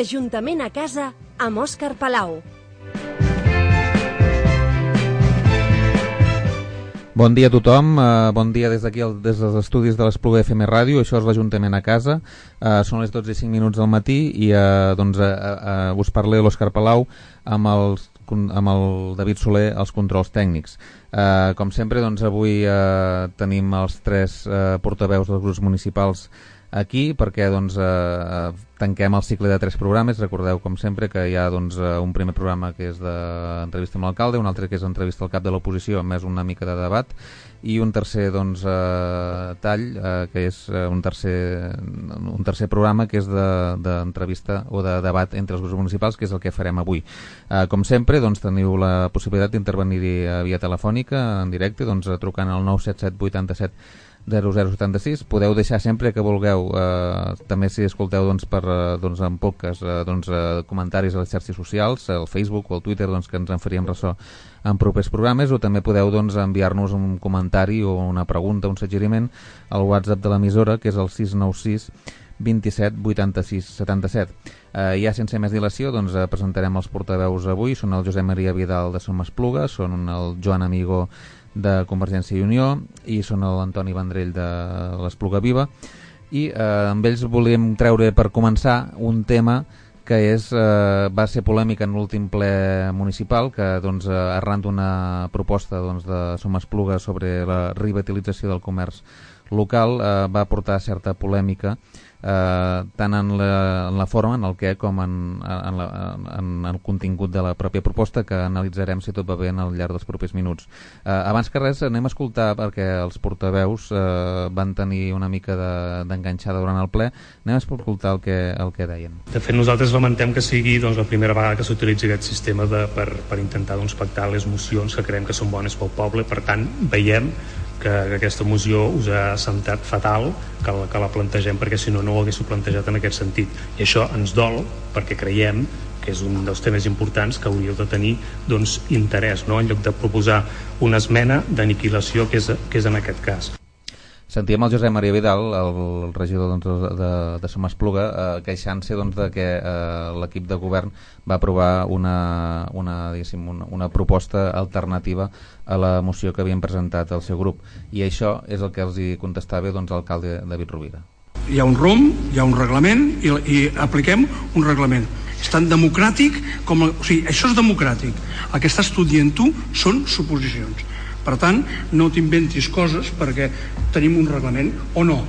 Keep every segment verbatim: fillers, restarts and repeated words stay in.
L'Ajuntament a casa amb Òscar Palau. Bon dia a tothom, uh, bon dia des d'aquí, des dels estudis de l'Espluga F M Ràdio. Això és l'Ajuntament a casa, uh, són les dotze i cinc minuts del matí i uh, doncs, uh, uh, us parla l'Òscar Palau amb, els, amb el David Soler als controls tècnics. Uh, com sempre, doncs, avui uh, tenim els tres uh, portaveus dels grups municipals aquí perquè doncs, eh, tanquem el cicle de tres programes. Recordeu, com sempre, que hi ha doncs, un primer programa que és d'entrevista amb l'alcalde, un altre que és entrevista al cap de l'oposició, més una mica de debat, i un tercer doncs, eh, tall, eh, que és un tercer, un tercer programa que és d'entrevista de, o de debat entre els grups municipals, que és el que farem avui. Eh, com sempre, doncs, teniu la possibilitat d'intervenir via telefònica, en directe, doncs, trucant al nou set set vuit set zero zero setanta sis. Podeu deixar sempre que vulgueu, eh, també si escolteu doncs, per, eh, doncs, en podcast, eh, doncs, eh, comentaris a les xarxes socials, al Facebook o al Twitter, doncs, que ens en faríem ressò en propers programes, o també podeu doncs, enviar-nos un comentari o una pregunta, un suggeriment al WhatsApp de l'emissora, que és el sis nou sis vint set vuitanta sis setanta set. Eh, ja sense més dilació, doncs, eh, presentarem els portaveus avui. Són el Josep Maria Vidal de Som Espluga, són el Joan Amigó de Convergència i Unió i són l'Antoni Vendrell de l'Espluga Viva, i eh, amb ells volíem treure per començar un tema que és, eh, va ser polèmic en l'últim ple municipal, que doncs, arran d'una proposta doncs, de Som Espluga sobre la revitalització del comerç local, eh, va portar certa polèmica, eh, tant en la, en la forma, en el què, com en, en, la, en el contingut de la pròpia proposta, que analitzarem si tot va bé al llarg dels propers minuts. Eh, abans que res, anem a escoltar, perquè els portaveus eh, van tenir una mica d'enganxada de, durant el ple, anem a escoltar el que, el que deien. De fet, nosaltres lamentem que sigui doncs, la primera vegada que s'utilitzi aquest sistema de, per, per intentar doncs, pactar les mocions que creiem que són bones pel poble. Per tant, veiem que aquesta moció us ha sentat fatal que la, que la plantegem, perquè si no no ho haguéssiu plantejat en aquest sentit, i això ens dol perquè creiem que és un dels temes importants que hauríeu de tenir doncs, interès, no? En lloc de proposar una esmena d'aniquilació, que és, que és en aquest cas. Sentíem el Josep Maria Vidal, el regidor doncs, de, de Som Espluga, eh, queixant-se doncs, de que eh, l'equip de govern va aprovar una, una, una, una proposta alternativa a la moció que havien presentat el seu grup, i això és el que els hi contestava doncs, l'alcalde David Rovira. Hi ha un rumb, hi ha un reglament i, i apliquem un reglament. És tan democràtic com... O sigui, això és democràtic. El que estàs tu dient tu són suposicions. Per tant, no t'inventis coses perquè tenim un reglament o no.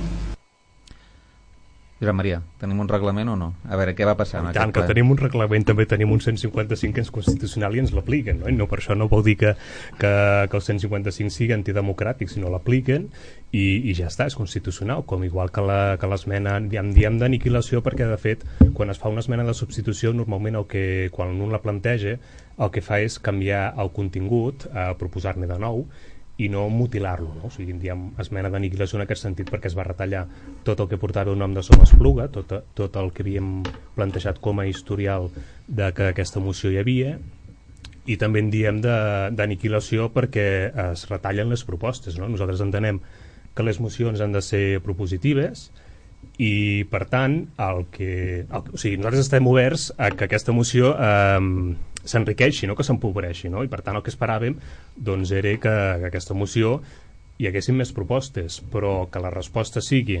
Josep Maria, tenim un reglament o no? A veure, què va passar en I tant, aquest ple? que tenim un reglament, també tenim un cent cinquanta-cinc que és constitucional i ens l'apliquen, no? I no per això no vol dir que, que, que el cent cinquanta-cinc sigui antidemocràtic, sinó l'apliquen i, i ja està, és constitucional, com igual que la, que l'esmena, diem, diem d'aniquilació, perquè de fet, quan es fa una esmena de substitució, normalment el que, quan un la planteja, el que fa és canviar el contingut, eh, proposar-ne de nou, i no mutilar-lo, no? O sigui, diem esmena d'aniquilació en aquest sentit, perquè es va retallar tot el que portava el nom de Som Espluga, tot, tot el que havíem plantejat com a historial de que aquesta moció hi havia, i també en diem d'aniquilació perquè es retallen les propostes, no? Nosaltres entenem que les mocions han de ser propositives i, per tant, el que, el, o sigui, nosaltres estem oberts a que aquesta moció eh, s'enriqueixi, no? Que s'empobreixi, no? I per tant el que esperàvem doncs, era que, que aquesta moció hi haguessin més propostes, però que la resposta sigui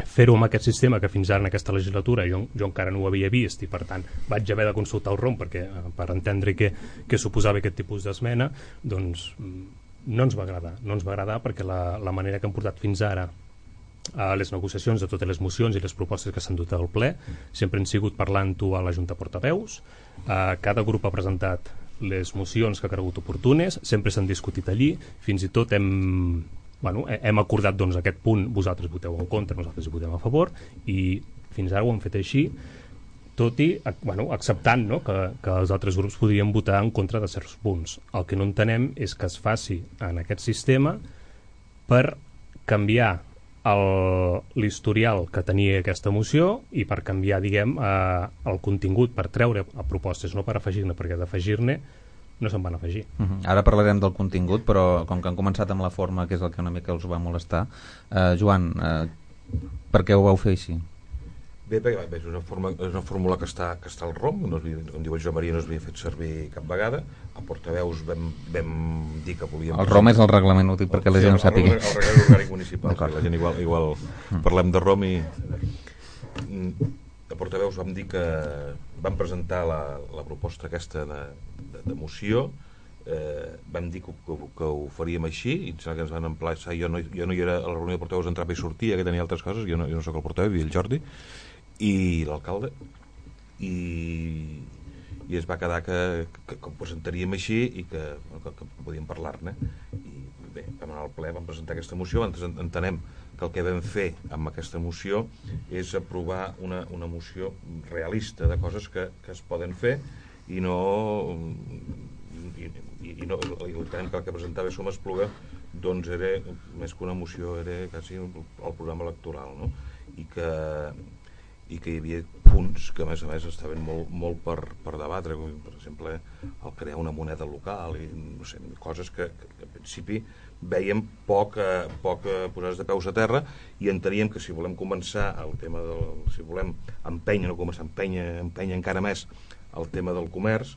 fer-ho amb aquest sistema que fins ara en aquesta legislatura jo, jo encara no ho havia vist, i per tant vaig haver de consultar el R O M perquè, per entendre què, què suposava aquest tipus d'esmena, doncs no ens va agradar, no ens va agradar perquè la, la manera que hem portat fins ara a les negociacions de totes les mocions i les propostes que s'han dut al ple sempre han sigut parlant-ho a la Junta Portaveus. Uh, cada grup ha presentat les mocions que ha cregut oportunes, sempre s'han discutit allí, fins i tot hem, bueno, hem acordat doncs, aquest punt, vosaltres voteu en contra, nosaltres hi votem a favor, i fins ara ho hem fet així, tot i bueno, acceptant, no? que, que els altres grups podrien votar en contra de certs punts. El que no entenem és que es faci en aquest sistema per canviar l'historial que tenia aquesta moció i per canviar, diguem, eh, el contingut, per treure a propostes, no per afegir-ne, perquè d'afegir-ne no se'n van afegir. Uh -huh. Ara parlarem del contingut, però com que han començat amb la forma, que és el que una mica us va molestar, eh, Joan, eh, per què ho vau fer així? Bé, bé, bé, és una, forma, és una fórmula que està, que està al R O M, no havia, com diu el Joan Maria, no s'havia fet servir cap vegada. A portaveus vam, vam dir que volíem... El R O M és el reglament, ho dic perquè la gent ho sàpiga. El, el reglament orgànic municipal, sí, la gent igual, igual mm. parlem de R O M i... A portaveus vam dir que vam presentar la, la proposta aquesta de, de, de moció, eh, vam dir que, que, que ho faríem així, i em sembla que ens van emplaçar, jo no, jo no hi era a la reunió de portaveus, entrava i sortia, que tenia altres coses, jo no, jo no soc el portaveu, i el Jordi, i l'alcalde, i, i es va quedar que, que, que ho presentaríem així i que, que, que podíem parlar-ne. I bé, vam anar al ple, vam presentar aquesta moció, entenem que el que vam fer amb aquesta moció és aprovar una, una moció realista de coses que, que es poden fer i no i, i, i no i entenem que el que presentava Som Espluga doncs era, més que una moció, era quasi el programa electoral, no? I que i que hi havia punts que a més a més estaven molt, molt per, per debatre, com per exemple el crear una moneda local i no sé, coses que, que, que en principi veiem poc, eh, poc eh, posades de peus a terra, i enteníem que si volem començar el tema del, si volem empènyer, no començar empènyer, empènyer encara més el tema del comerç,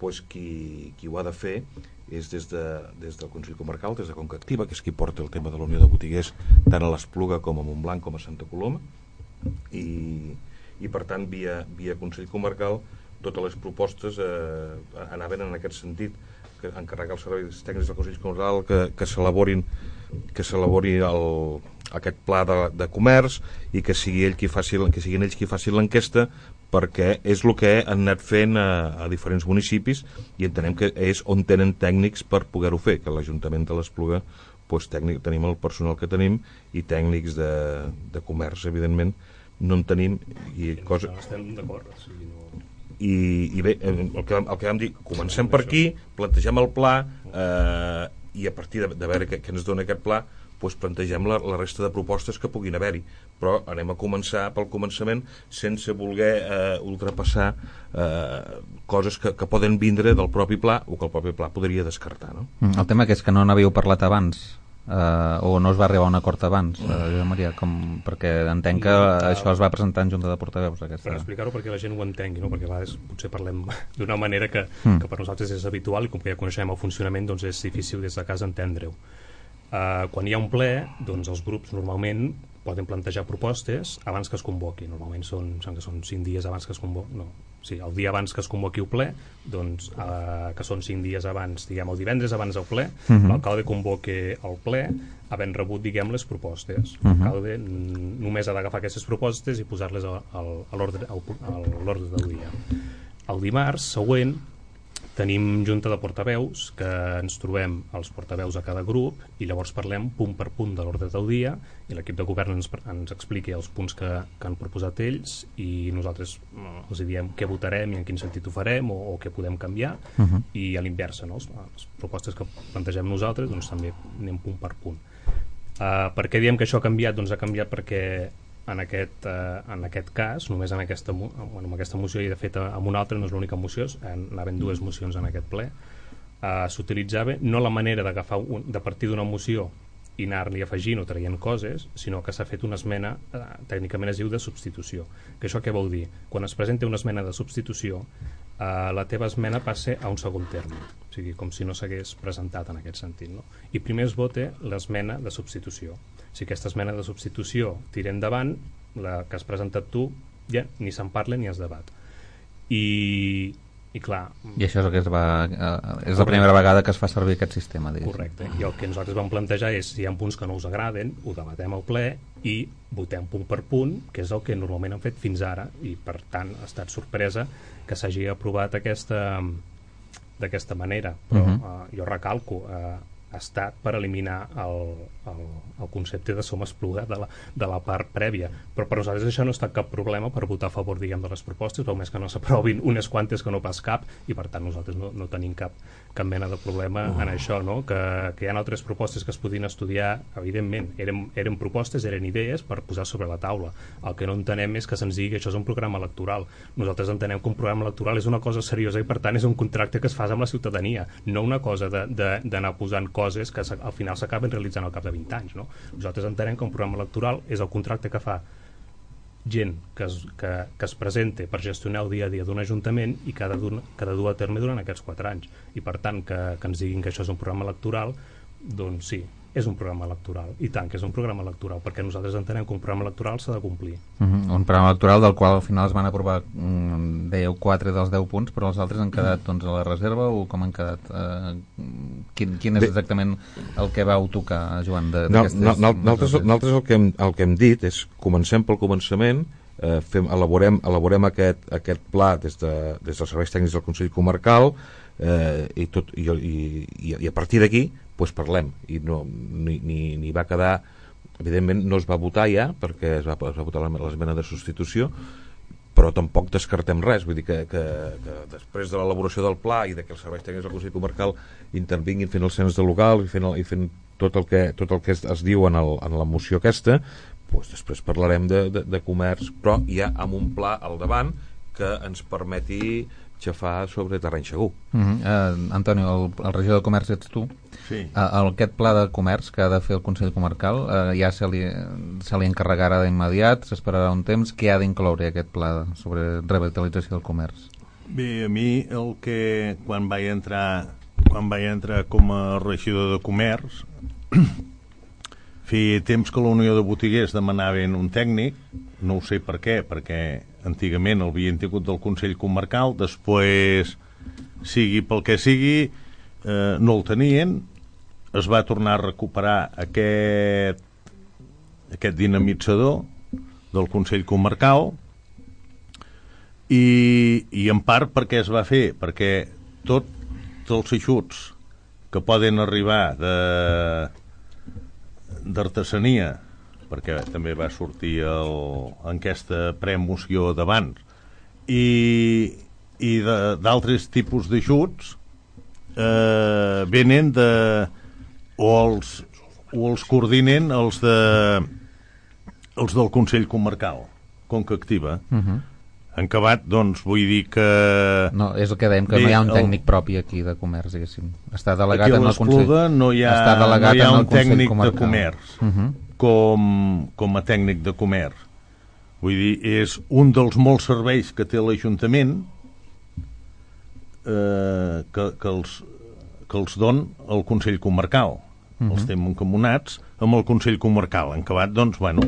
doncs qui, qui ho ha de fer és des, de, des del Consell Comarcal, des de Conca Activa, que és qui porta el tema de la Unió de Botiguers tant a l'Espluga com a Montblanc com a Santa Coloma. I, i per tant via, via Consell Comarcal totes les propostes eh, anaven en aquest sentit, que encarregar els serveis tècnics del Consell Comarcal que, que s'elaborin que s'elabori el, aquest pla de, de comerç i que sigui ell qui faci, que siguin ells qui facin l'enquesta, perquè és el que han anat fent a, a diferents municipis, i entenem que és on tenen tècnics per poder-ho fer, que l'Ajuntament de l'Espluga doncs, tècnic, tenim el personal que tenim, i tècnics de, de comerç evidentment no en tenim, i cosa... estem d'acord, o sigui, no... I, i bé, el que, el que vam dir, comencem per aquí, plantegem el pla, eh, i a partir de, de veure què, què ens dona aquest pla, doncs plantegem la, la resta de propostes que puguin haver-hi, però anem a començar pel començament sense voler eh, ultrapassar eh, coses que, que poden vindre del propi pla o que el propi pla podria descartar, no? El tema que és que no n'havíeu parlat abans, Uh, o no es va arribar a un acord abans, uh, Josep Maria, com, perquè entenc que uh, això es va presentar en Junta de Portaveus aquesta... Per explicar-ho perquè la gent ho entengui, no? Perquè a vegades potser parlem d'una manera que, mm. que per nosaltres és habitual, i com que ja coneixem el funcionament doncs és difícil des de casa entendre-ho. Uh, quan hi ha un ple, doncs els grups normalment poden plantejar propostes abans que es convoqui. Normalment són, que són cinc dies abans que es convoqui, no, sí, el dia abans que es convoqui el ple, doncs, eh, que són cinc dies abans, diguem, el divendres abans del ple, uh -huh. l'alcalde convoque el ple havent rebut, diguem, les propostes. Uh -huh. L'alcalde només ha d'agafar aquestes propostes i posar-les a, a, a l'ordre del dia. El dimarts següent tenim junta de portaveus, que ens trobem els portaveus a cada grup i llavors parlem punt per punt de l'ordre del dia, i l'equip de govern ens, ens expliqui els punts que, que han proposat ells, i nosaltres els diem què votarem i en quin sentit ho farem, o, o què podem canviar, uh -huh. i a l'inversa, no? Les propostes que plantegem nosaltres doncs també anem punt per punt. Uh, per què diem que això ha canviat? Doncs ha canviat perquè en aquest, eh, en aquest cas, només en aquesta, bueno, en aquesta moció, i de fet en una altra no és l'única moció, anaven dues mocions en aquest ple, eh, s'utilitzava no la manera d'agafar un, de partir d'una moció i anar-li afegint o traient coses, sinó que s'ha fet una esmena, eh, tècnicament es diu de substitució. Que això què vol dir? Quan es presenta una esmena de substitució, eh, la teva esmena passa a un segon terme, o sigui, com si no s'hagués presentat en aquest sentit, no? I primer es vota l'esmena de substitució. Si aquesta esmena de substitució tira endavant, la que has presentat tu, ja ni se'n parla ni es debat. I, i clar... I això és el que es va... Eh, és la primera vegada que es fa servir aquest sistema, diguéssim. Correcte. I el que nosaltres vam plantejar és, si hi ha punts que no us agraden, ho debatem al ple i votem punt per punt, que és el que normalment han fet fins ara, i per tant ha estat sorpresa que s'hagi aprovat aquesta d'aquesta manera. Però uh -huh. eh, jo recalco... Eh, ha estat per eliminar el, el, el concepte de Som Espluga de la, de la part prèvia, però per nosaltres això no ha estat cap problema per votar a favor, diguem, de les propostes, o més que no s'aprovin unes quantes que no pas cap, i per tant nosaltres no, no tenim cap, cap mena de problema uh. en això, no? Que, que hi ha altres propostes que es podien estudiar, evidentment, eren, eren propostes, eren idees per posar sobre la taula. El que no entenem és que se'ns digui que això és un programa electoral. Nosaltres entenem que un programa electoral és una cosa seriosa i per tant és un contracte que es fa amb la ciutadania, no una cosa d'anar posant coses que al final s'acaben realitzant al cap de vint anys, no? Nosaltres entenem que un programa electoral és el contracte que fa gent que es, que, que es presente per gestionar el dia a dia d'un ajuntament i que ha de, dur, que ha de dur a terme durant aquests quatre anys. I per tant, que, que ens diguin que això és un programa electoral, doncs sí, és un programa electoral, i tant que és un programa electoral, perquè nosaltres entenem que un programa electoral s'ha de complir. Uh -huh. Un programa electoral del qual al final es van aprovar, mm, dèieu, quatre dels deu punts, però els altres han quedat doncs, a la reserva, o com han quedat? Uh, quin, quin és exactament el que vau tocar, Joan? Nosaltres no, no, el, que hem, el que hem dit és, comencem pel començament, eh, fem, elaborem, elaborem aquest, aquest pla des, de, des dels serveis tècnics del Consell Comarcal, eh, i, tot, i, i, i a partir d'aquí pues parlem, i no, ni, ni, ni va quedar, evidentment no es va votar ja, perquè es va, es va votar l'esmena de substitució, però tampoc descartem res, vull dir que, que, que després de l'elaboració del pla i de que els serveis tècnics del Consell Comarcal intervinguin fent el cens de local i fent, el, i fent tot el que, tot el que es, es diu en, el, en la moció aquesta, pues després parlarem de, de, de comerç, però ja amb un pla al davant que ens permeti xafar sobre terreny segur. Uh -huh. uh, Antonio, el, el regidor de comerç ets tu. Sí. Uh, aquest pla de comerç que ha de fer el Consell Comarcal uh, ja se li, se li encarregarà d'immediat, s'esperarà un temps. Què ha d'incloure aquest pla sobre revitalització del comerç? Bé, a mi el que quan vaig entrar quan vaig entrar com a regidor de comerç feia temps que la Unió de Botiguers demanaven un tècnic, no ho sé per què, perquè antigament el havien tingut del Consell Comarcal, després, sigui pel que sigui, eh, no el tenien, es va tornar a recuperar aquest, aquest dinamitzador del Consell Comarcal, i, i en part perquè es va fer, perquè tots els ajuts que poden arribar de d'artesania, perquè també va sortir el, en aquesta premoció d'abans, i, i d'altres tipus d'ajuts eh, venen de o els, o els coordinen els de els del Consell Comarcal, Conca Activa. Uh -huh. En acabat, doncs, vull dir que... No, és el que dèiem, que bé, no hi ha un tècnic el... propi aquí de comerç, diguéssim. Està delegat aquí en el Consell... no hi ha, Està delegat no hi ha en el un tècnic comarcal. de comerç uh -huh. com, com a tècnic de comerç. Vull dir, és un dels molts serveis que té l'Ajuntament eh, que, que, els, que els don el Consell Comarcal. Uh -huh. Els té mancomunats amb el Consell Comarcal. En acabat, doncs, bueno...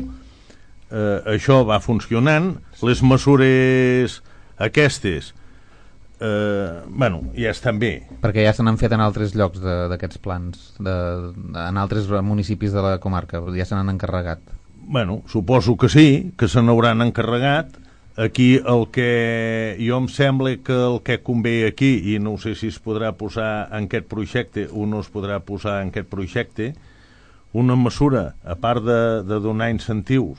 Eh, això va funcionant, les mesures aquestes eh, bueno, ja estan bé, perquè ja se n'han fet en altres llocs d'aquests plans de, de, en altres municipis de la comarca, ja se n'han encarregat. Bueno, suposo que sí, que se n'hauran encarregat. Aquí el que jo em sembla que el que convé aquí, i no sé si es podrà posar en aquest projecte o no es podrà posar en aquest projecte, una mesura, a part de, de donar incentius,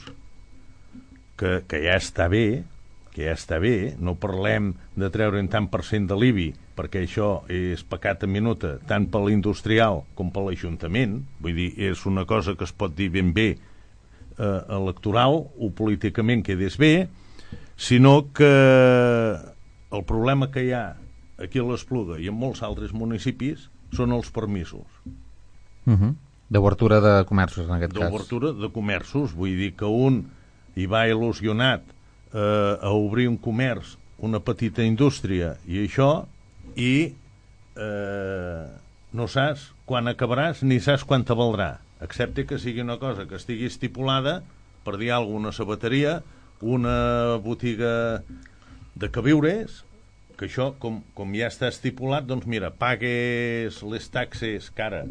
Que, que ja està bé, que ja està bé, no parlem de treure'n tant per cent de l'I B I, perquè això és pecat a minuta, tant per l'industrial com per l'Ajuntament, vull dir, és una cosa que es pot dir ben bé eh, electoral o políticament quedés bé, sinó que el problema que hi ha aquí a l'Espluga i en molts altres municipis són els permisos. Uh -huh. D'obertura de comerços, en aquest cas. D'obertura de comerços, vull dir que un i va il·lusionat eh, a obrir un comerç, una petita indústria i això, i eh, no saps quan acabaràs ni saps quan te valdrà, excepte que sigui una cosa que estigui estipulada, per dir alguna cosa, una sabateria, una botiga de queviures, que això, com, com ja està estipulat, doncs mira, pagues les taxes que ara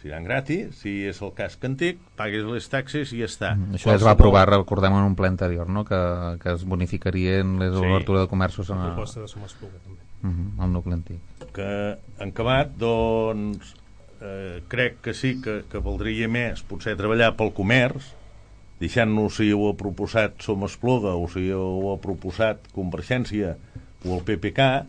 seran gratis, si és el cas que antic, pagues les taxes i ja està. Mm, això es va aprovar, recordem, en un ple anterior, no? que, que es bonificarien les sí. obertures de comerços en la proposta de Somespluga també. Uh -huh, el nucli antic. Que en acabat, doncs eh, crec que sí que, que valdria més potser treballar pel comerç, deixant-nos si ho ha proposat Somespluga o si ho ha proposat Convergència o el P P K.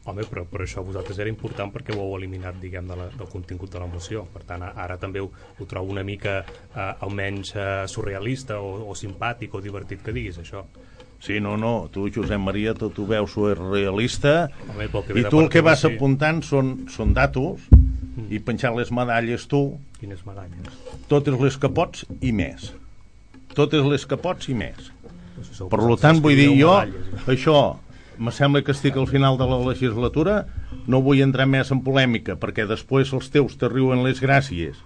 Home, però, però això a vosaltres era important perquè ho heu eliminat, diguem, de la, del contingut de la moció. Per tant, ara també ho, ho trobo una mica eh, almenys eh, surrealista o, o simpàtic o divertit que diguis això. Sí, no, no, tu, Josep Maria, tot ho veus surrealista. Home, i tu el que vas sí. apuntant són, són datos mm. i penjant les medalles tu. Quines medalles? Totes les que pots i més. Totes les que pots i més. Per tant, vull dir, jo, això, me sembla que estic al final de la legislatura, no vull entrar més en polèmica, perquè després els teus te riuen les gràcies,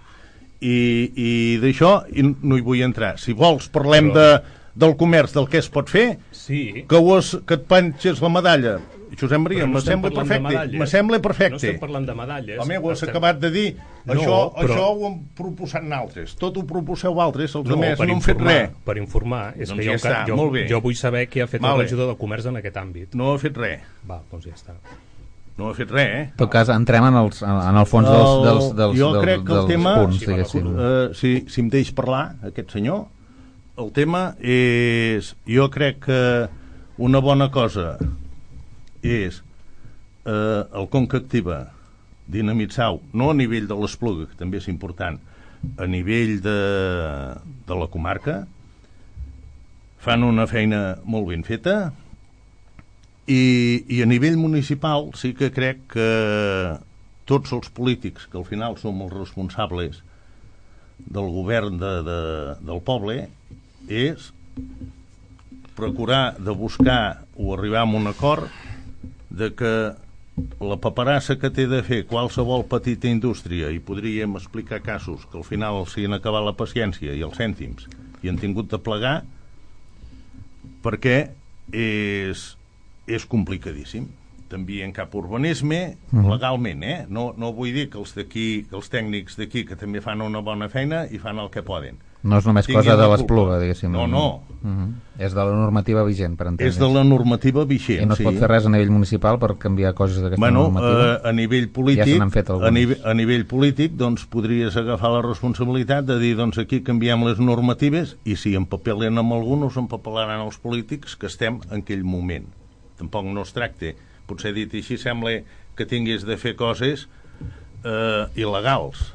i, i d'això no hi vull entrar. Si vols, parlem de, del comerç, del que es pot fer, sí. que, es, que et penges la medalla. Josep Maria, no me sembla perfecte. Me sembla perfecte. No estem parlant de medalles. Home, ho has estem... acabat de dir. No, això, però... això ho hem proposat nosaltres. Tot ho proposeu altres, els no, altres no han fet res. Per informar, és doncs que ja jo, està, jo, molt bé. jo vull saber què ha fet vale. el regidor del comerç en aquest àmbit. No ha fet res. Va, doncs ja està. No ha fet res, eh? En tot cas, entrem en, els, en el fons dels, dels, dels, jo dels, crec que el dels tema, punts, diguéssim. Uh, si, si em deix parlar, aquest senyor, el tema és... Jo crec que una bona cosa és eh, el Conca Activa, dinamitzar-ho, no a nivell de l'Espluga, que també és important, a nivell de, de la comarca, fan una feina molt ben feta, i, i a nivell municipal sí que crec que tots els polítics, que al final som els responsables del govern de, de, del poble, és procurar de buscar o arribar a un acord de que la paperassa que té de fer qualsevol petita indústria, i podríem explicar casos que al final s'hi han acabat la paciència i els cèntims i han tingut de plegar, perquè és, és complicadíssim. També en cap urbanisme, mm. legalment, eh? No, no vull dir que els d'aquí, que els tècnics d'aquí, que també fan una bona feina i fan el que poden. No és només cosa de l'Espluga, diguéssim. No, no. Uh-huh. És de la normativa vigent, per entendre's. És de la normativa vigent, I no es sí. pot fer res a nivell municipal per canviar coses d'aquesta bueno, normativa? Eh, a nivell polític, ja se n'han fet a, nivell, a nivell polític, doncs podries agafar la responsabilitat de dir, doncs aquí canviem les normatives, i si empapelen amb alguns, empapelaran els polítics que estem en aquell moment. Tampoc no es tracta, potser dit així sembla que tinguis de fer coses eh, il·legals,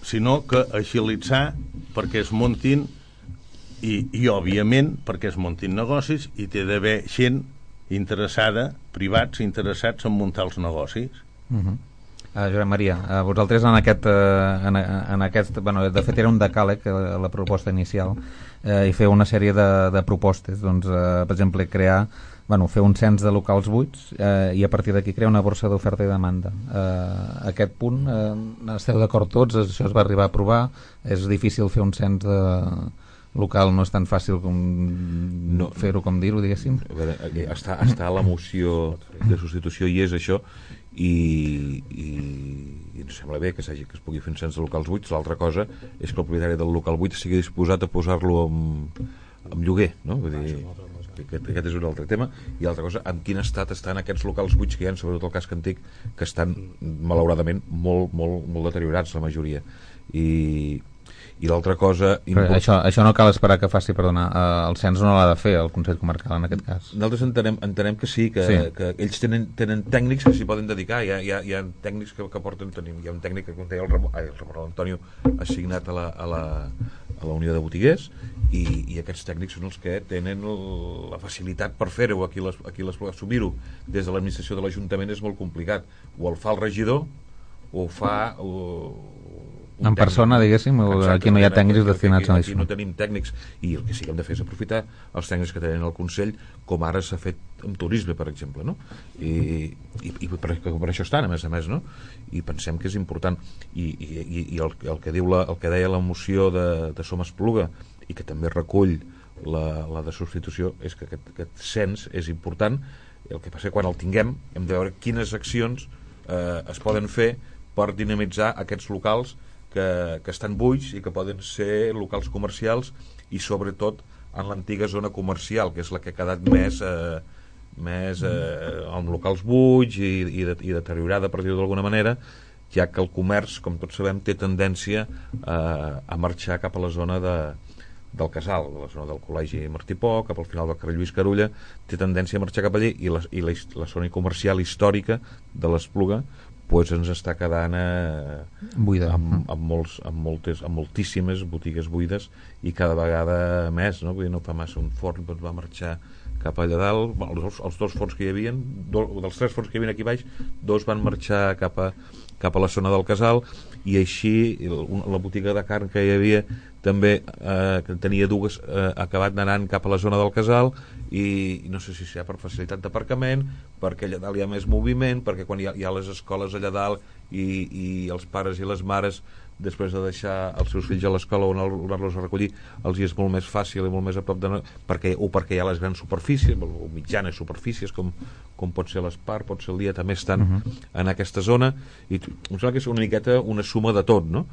sinó que agilitzar perquè es muntin i, i òbviament perquè es muntin negocis, i té d'haver gent interessada, privats interessats en muntar els negocis. Uh-huh. uh, Josep Maria, uh, vosaltres en aquest, uh, en, en aquest bueno, de fet era un decàleg la, la proposta inicial, uh, i fer una sèrie de, de propostes, doncs, uh, per exemple crear Bueno, fer un cens de locals buits eh, i a partir d'aquí crear una borsa d'oferta i demanda. Eh, aquest punt, eh, esteu d'acord tots? Això es va arribar a aprovar? És difícil fer un cens de local, no és tan fàcil com no, fer-ho, com dir-ho, diguéssim? A veure, està, està la moció de substitució i és això, i, i, i ens sembla bé que, que es pugui fer un cens de locals buits. L'altra cosa és que el propietari del local buit sigui disposat a posar-lo amb, amb lloguer, no? Vull dir, Aquest, aquest és un altre tema. I l'altra cosa, en quin estat estan aquests locals buits que hi ha, sobretot el casc antic, que estan malauradament molt, molt, molt deteriorats, la majoria. I, i l'altra cosa... Import... Això, això no cal esperar que faci, perdona, el cens no l'ha de fer el Consell Comarcal en aquest cas. Nosaltres entenem, entenem que sí, que, sí. que ells tenen, tenen tècnics que s'hi poden dedicar. Hi ha, hi ha, hi ha tècnics que, que porten... Tenim, hi ha un tècnic que, com deia el Ramon, ai, el Ramon Antonio, assignat a la, a la, a la Unió de Botiguers, i, i aquests tècnics són els que tenen el, la facilitat per fer-ho. Aquí, les, aquí les, assumir-ho des de l'administració de l'Ajuntament és molt complicat. O el fa el regidor o ho fa o, en tècnic. Persona, diguéssim. Exacte, aquí no hi ha tècnics destinats a això. Aquí no tenim tècnics, i el que sí que hem de fer és aprofitar els tècnics que tenen al Consell, com ara s'ha fet amb turisme, per exemple, no? I, i, i per, per això estan, a més a més, no? I pensem que és important. I, i, i el, el, que diu la, el que deia la moció de, de Som Espluga, i que també recull la, la de substitució, és que aquest, aquest cens és important. El que passa quan el tinguem hem de veure quines accions eh, es poden fer per dinamitzar aquests locals que, que estan buits i que poden ser locals comercials, i sobretot en l'antiga zona comercial, que és la que ha quedat més eh, més eh, amb locals buits i, i, de, i deteriorada, per dir-ho d'alguna manera, ja que el comerç, com tots sabem, té tendència eh, a marxar cap a la zona de del Casal, de la zona del Col·legi Martí Pò, cap al final del carrer Lluís Carulla, té tendència a marxar cap allà, i la, i la, la zona comercial històrica de l'Espluga pues ens està quedant eh, buida, amb, amb, molts, amb, moltes, amb moltíssimes botigues buides, i cada vegada més, no? Vull dir, no fa massa. Un forn doncs, va marxar cap allà dalt. Bueno, els, els dos forns que hi havia, do, dels tres forns que hi havia aquí baix, dos van marxar cap a, cap a la zona del Casal, i així la botiga de carn que hi havia també, eh, que tenia dues, eh, ha acabat anant cap a la zona del Casal, i, i no sé si serà per facilitat d'aparcament, perquè allà dalt hi ha més moviment, perquè quan hi ha, hi ha les escoles allà dalt i, i els pares i les mares, després de deixar els seus fills a l'escola o anar-los a recollir, els hi és molt més fàcil i molt més a prop de... perquè, o perquè hi ha les grans superfícies o mitjanes superfícies, com, com pot ser l'Espar, pot ser el Dia, també estan uh -huh. en aquesta zona, i em sembla que és una miqueta una suma de tot, no?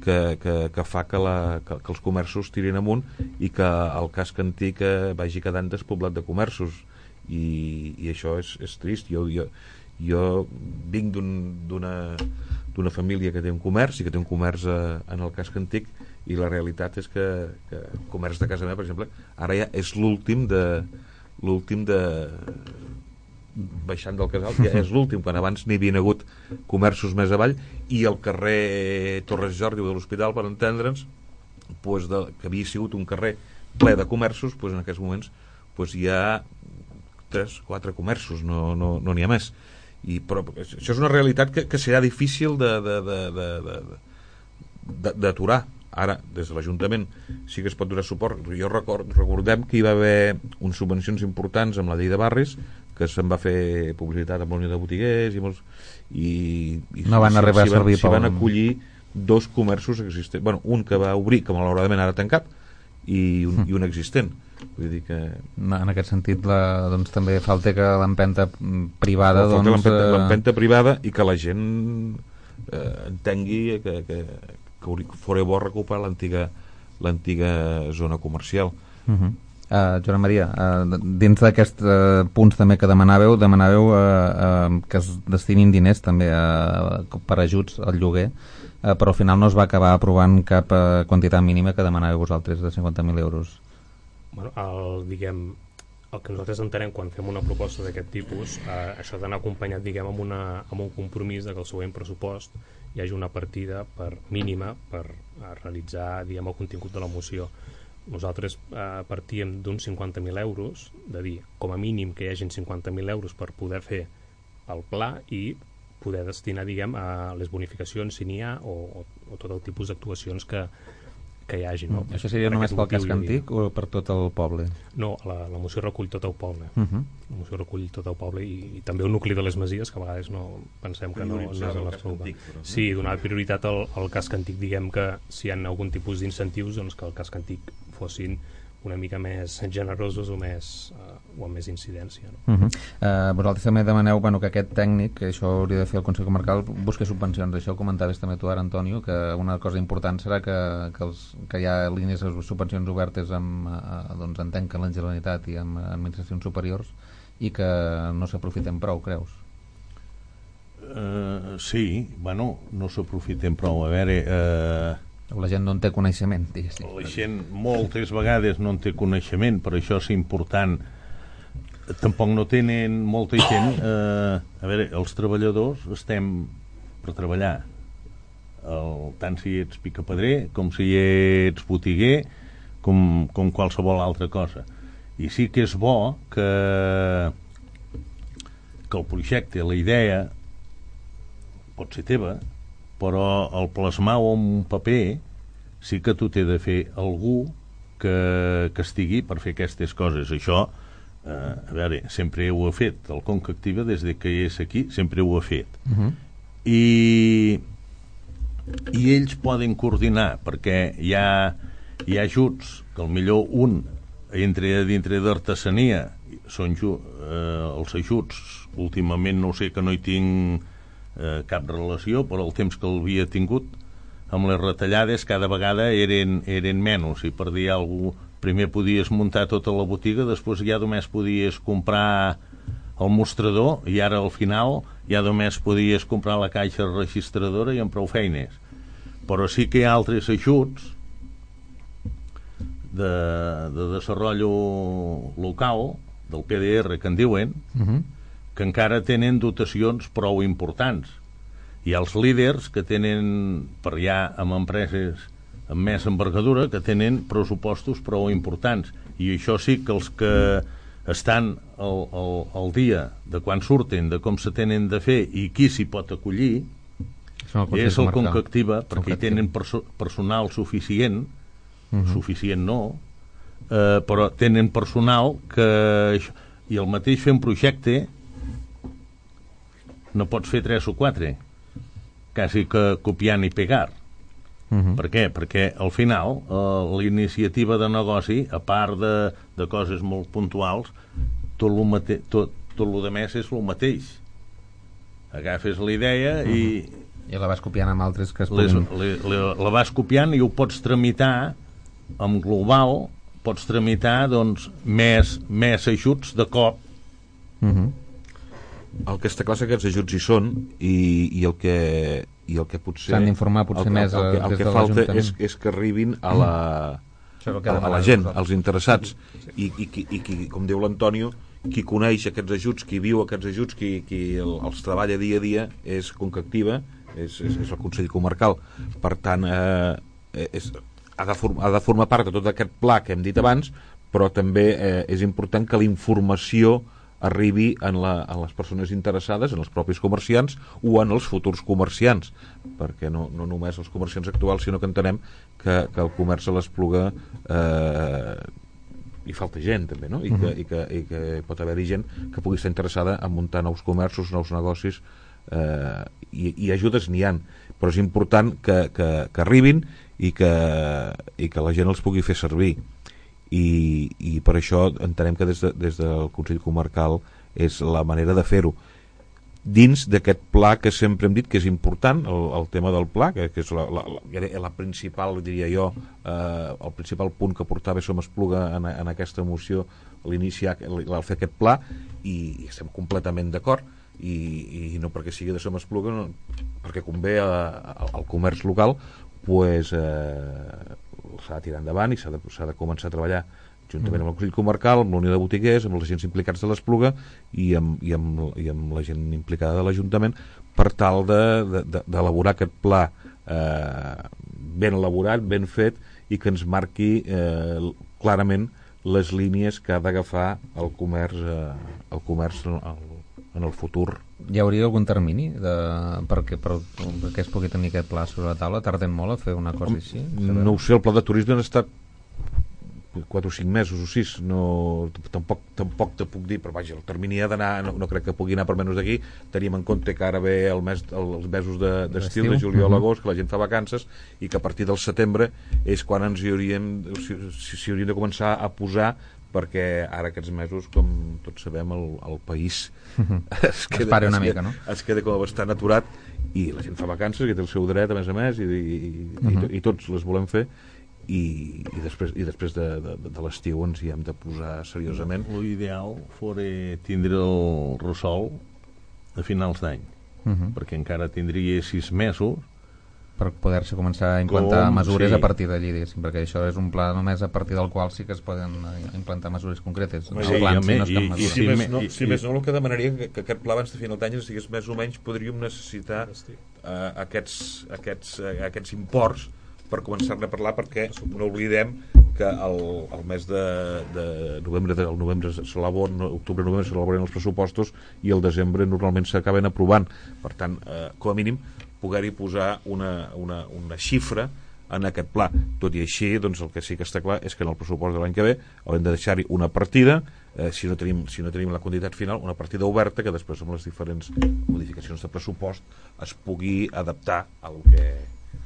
Que, que, que fa que, la, que, que els comerços tirin amunt i que el casc antic eh, vagi quedant despoblat de comerços, i, i això és, és trist. Jo, jo, jo vinc d'una d'una família que té un comerç i que té un comerç eh, en el casc antic, i la realitat és que, que el comerç de casa meva, per exemple, ara ja és l'últim de l'últim de baixant del Casal, ja és l'últim, quan abans n'hi havia hagut comerços més avall, i el carrer Torres Jordi de l'Hospital, per entendre'ns, pues de, que havia sigut un carrer ple de comerços, pues en aquests moments pues hi ha tres, quatre comerços, no n'hi no, no ha més. I, però això és una realitat que, que serà difícil d'aturar. Ara, des de l'Ajuntament sí que es pot donar suport. Jo record, recordem que hi va haver unes subvencions importants amb la llei de barris, que se'n va fer publicitat amb la Unió de Botiguers i molts, i, i no van arribar a servir. S'hi van acollir dos comerços existents, bueno, un que va obrir, que malauradament ara ha tancat, i un, mm. i un existent. Vull dir que... En aquest sentit, la, doncs, també falta que l'empenta privada... Falta doncs, l'empenta, l'empenta privada, i que la gent eh, entengui que, que, que fora bo recuperar l'antiga l'antiga zona comercial. Uh -huh. uh, Joan Maria, uh, dins d'aquests uh, punts també que demanàveu, demanàveu uh, uh, que es destinin diners també uh, per ajuts al lloguer, uh, però al final no es va acabar aprovant cap uh, quantitat mínima que demanàveu vosaltres, de cinquanta mil euros. Bueno, el, diguem, el que nosaltres entenem quan fem una proposta d'aquest tipus, eh, això ha d'anar acompanyat, diguem, amb, una, amb un compromís de que el següent pressupost hi hagi una partida per mínima per a realitzar, diguem, el contingut de la moció. Nosaltres eh, partíem d'uns cinquanta mil euros, de dir, com a mínim que hi hagin cinquanta mil euros per poder fer el pla i poder destinar, diguem, a les bonificacions, si n'hi ha, o, o, o tot el tipus d'actuacions que que hi hagi, no? Mm. Això seria per només pel casc antic o per tot el poble? No, la, la moció recull tot el poble. Uh -huh. La moció recull tot el poble i, i també un nucli de les masies, que a vegades no pensem que no, no és el nostre poble. Sí, donar prioritat al, al casc antic, diguem que si hi ha algun tipus d'incentius, doncs que el casc antic fossin una mica més generosos o més uh, o amb més incidència, no? Uh -huh. uh, vosaltres també demaneu, bueno, que aquest tècnic, que això hauria de fer el Consell Comarcal, busqui subvencions. Això ho comentaves també tu ara, Antonio, que una cosa important serà que, que, els, que hi ha línies de subvencions obertes amb, uh, doncs entenc que la Generalitat i amb administracions superiors, i que no s'aprofiten prou, creus? Uh, sí, bueno, no s'aprofiten prou. A veure... Uh... La gent no en té coneixement, diguéssim. La gent moltes vegades no en té coneixement, però això és important. Tampoc no tenen molta gent... Eh, a veure, els treballadors estem per treballar. El, tant si ets picapedrer, com si ets botiguer, com, com qualsevol altra cosa. I sí que és bo que, que el projecte, la idea, pot ser teva, però el plasmar-ho en un paper sí que tu t'he de fer algú que, que estigui per fer aquestes coses. Això, eh, a veure, sempre ho ha fet. El Conca Activa, des de que és aquí, sempre ho ha fet. Uh-huh. I, i ells poden coordinar, perquè hi ha, hi ha ajuts que millor un entra dintre d'artesania, són eh, els ajuts, últimament no sé, que no hi tinc Eh, cap relació, però el temps que l'havia tingut amb les retallades cada vegada eren, eren menys, i per dir alguna cosa, primer podies muntar tota la botiga, després ja només podies comprar el mostrador, i ara al final ja només podies comprar la caixa registradora i amb prou feines. Però sí que hi ha altres ajuts de, de desenvolupament local, del P D R que en diuen, uh-huh, que encara tenen dotacions prou importants. Hi ha els líders que tenen, per allà amb empreses amb més envergadura, que tenen pressupostos prou importants, i això sí que els que estan al, al, al dia de quan surten, de com se tenen de fer i qui s'hi pot acollir, I és el Concactiva, perquè hi tenen perso personal suficient, uh-huh. suficient no, eh, però tenen personal que... I el mateix fer un projecte no pots fer tres o quatre, quasi que copiant i pegar. Uh-huh. Per què? Perquè al final eh, la iniciativa de negoci, a part de, de coses molt puntuals, tot el mate tot, tot el de més és el mateix. Agafes la idea uh-huh. i... I la vas copiant amb altres que es les, puguin... le, le, la vas copiant i ho pots tramitar amb global, pots tramitar doncs, més, més ajuts de cop. Uh-huh. El que està clar és que aquests ajuts hi són i, i el que i el que potser s'han d'informar potser el, més el, el, el, el que de falta és, és que arribin a la, a, a la gent, als interessats i, i, i, i qui, com diu l'Antonio, qui coneix aquests ajuts, qui viu aquests ajuts, qui, qui el, els treballa dia a dia és Concactiva, és, és, és el Consell Comarcal. Per tant eh, és, ha, de form, ha de formar part de tot aquest pla que hem dit abans, però també eh, és important que la informació arribi en, la, en les persones interessades, en els propis comerciants o en els futurs comerciants, perquè no, no només els comerciants actuals, sinó que entenem que, que el comerç a l'Espluga eh, hi falta gent també, no? I, uh-huh. que, i, que, i que pot haver-hi gent que pugui estar interessada en muntar nous comerços, nous negocis, eh, i, i ajudes n'hi ha, però és important que, que, que arribin i que, i que la gent els pugui fer servir. I, i per això entenem que des, de, des del Consell Comarcal és la manera de fer-ho dins d'aquest pla que sempre hem dit que és important, el, el tema del pla, que, que és la, la, la, la principal, diria jo, eh, el principal punt que portava Som Espluga en, en aquesta moció, l'iniciar, el fer aquest pla, i, i estem completament d'acord, i, i no perquè sigui de Som Espluga, no, perquè convé a, a, al comerç local, pues, eh, s'ha de tirar endavant i s'ha de, s'ha de començar a treballar juntament amb el Consell Comarcal, amb la Unió de Botiguers, amb els agents implicats de l'Espluga i amb, i, amb, i amb la gent implicada de l'Ajuntament per tal d'elaborar de, de, aquest pla eh, ben elaborat, ben fet i que ens marqui eh, clarament les línies que ha d'agafar el comerç, eh, el comerç el, en el futur. Hi hauria algun termini de, perquè, per, perquè es pugui tenir aquest pla sobre la taula? Tarden molt a fer una cosa així? No ho sé, el pla de turisme ha estat quatre o cinc mesos o sis, no, tampoc, tampoc te puc dir, però vaja, el termini ha d'anar, no, no crec que pugui anar per menys d'aquí. Tenim en compte que ara ve el mes, el, els mesos d'estiu, de, de juliol a agost, que la gent fa vacances, i que a partir del setembre és quan ens hi hauríem, si, si hauríem de començar a posar, perquè ara aquests mesos, com tots sabem, el, el país uh-huh. es, queda, es para una es mica, queda, no? Es queda com bastant aturat, i la gent fa vacances, que té el seu dret, a més a més, i, i, uh-huh. i, i tots les volem fer, i, i després, i després de, de, de l'estiu ens hi hem de posar seriosament. L'ideal fora tindre el ressol a finals d'any, uh-huh. perquè encara tindria sis mesos per poder-se començar a implantar Com, mesures sí. a partir d'allí, perquè això és un pla només a partir del qual sí que es poden implantar mesures concretes. Sí, sí, plan, si no i, i, si, més no, si i, més no, el que demanaria que, que aquest pla abans de final d'any ens digués més o menys podríem necessitar uh, aquests, aquests, uh, aquests imports per començar-ne a parlar, perquè no oblidem que el, el mes de, de novembre, el novembre s'elaboren, octubre-novembre s'elaboren els pressupostos i el desembre normalment s'acaben aprovant. Per tant, eh, com a mínim, poder-hi posar una, una, una xifra en aquest pla. Tot i així, doncs, el que sí que està clar és que en el pressupost de l'any que ve haurem de deixar-hi una partida, eh, si, no tenim, si no tenim la quantitat final, una partida oberta que després amb les diferents modificacions de pressupost es pugui adaptar al que...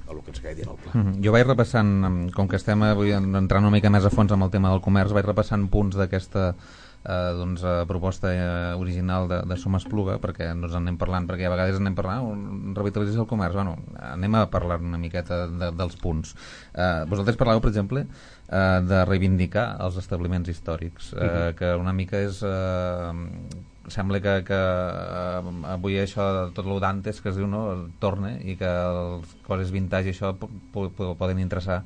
a el que ens quedi en el pla. Mm-hmm. Jo vaig repassant, com que estem avui entrant una mica més a fons amb el tema del comerç, vaig repassant punts d'aquesta eh, doncs, eh, proposta eh, original de, de Som Espluga, perquè no ens en anem parlant, perquè a vegades anem parlant, oh, revitalització del comerç, bueno, anem a parlar una miqueta de, dels punts. Eh, vosaltres parlàveu, per exemple, eh, de reivindicar els establiments històrics, eh, mm-hmm. que una mica és... Eh, sembla que, que uh, avui això, tot lo d'antes que es diu, no, torna, i que les coses vintage això poden interessar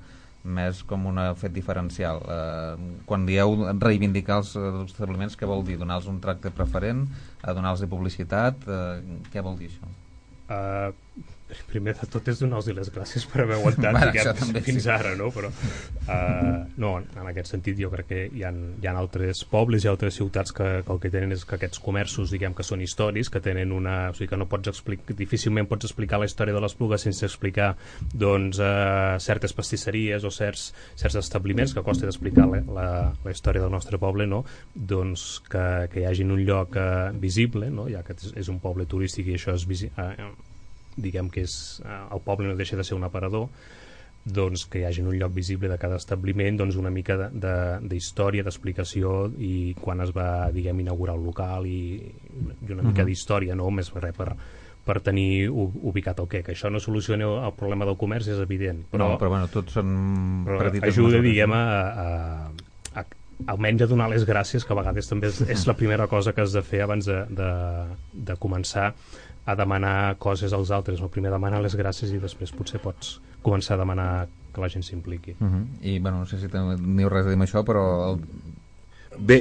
més com un fet diferencial. Uh, quan dieu reivindicar els, els establiments, què vol dir? Donar-los un tracte preferent? Uh, donar-los publicitat? Uh, què vol dir això? Uh, Primer de tot és donar-los les gràcies per haver aguantat bueno, diguem, fins sí. ara, no? Però uh, no, en aquest sentit jo crec que hi ha, hi ha altres pobles i altres ciutats que, que el que tenen és que aquests comerços, diguem que són històrics, que tenen una... O sigui que no pots explicar, difícilment pots explicar la història de l'Espluga sense explicar doncs uh, certes pastisseries o certs, certs establiments, que costa d'explicar la, la, la història del nostre poble, no? Doncs que, que hi hagi un lloc uh, visible, no? Ja que és, és un poble turístic i això és visible, uh, diguem que és, eh, el poble no deixa de ser un aparador, doncs que hi hagi un lloc visible de cada establiment, doncs una mica d'història, de, de, d'explicació i quan es va, diguem, inaugurar el local i, i una mica uh-huh. d'història, no? Més res per, per tenir ubicat el què, que això no soluciona el problema del comerç, és evident. Però, no, però bueno, tots són petites ajuda, diguem, a, a, a almenys a donar les gràcies, que a vegades també és, és la primera cosa que has de fer abans de, de, de començar a demanar coses als altres. El primer demanar les gràcies i després potser pots començar a demanar que la gent s'impliqui. Uh-huh. I, bueno, no sé si teniu res a dir amb això, però... El... Bé,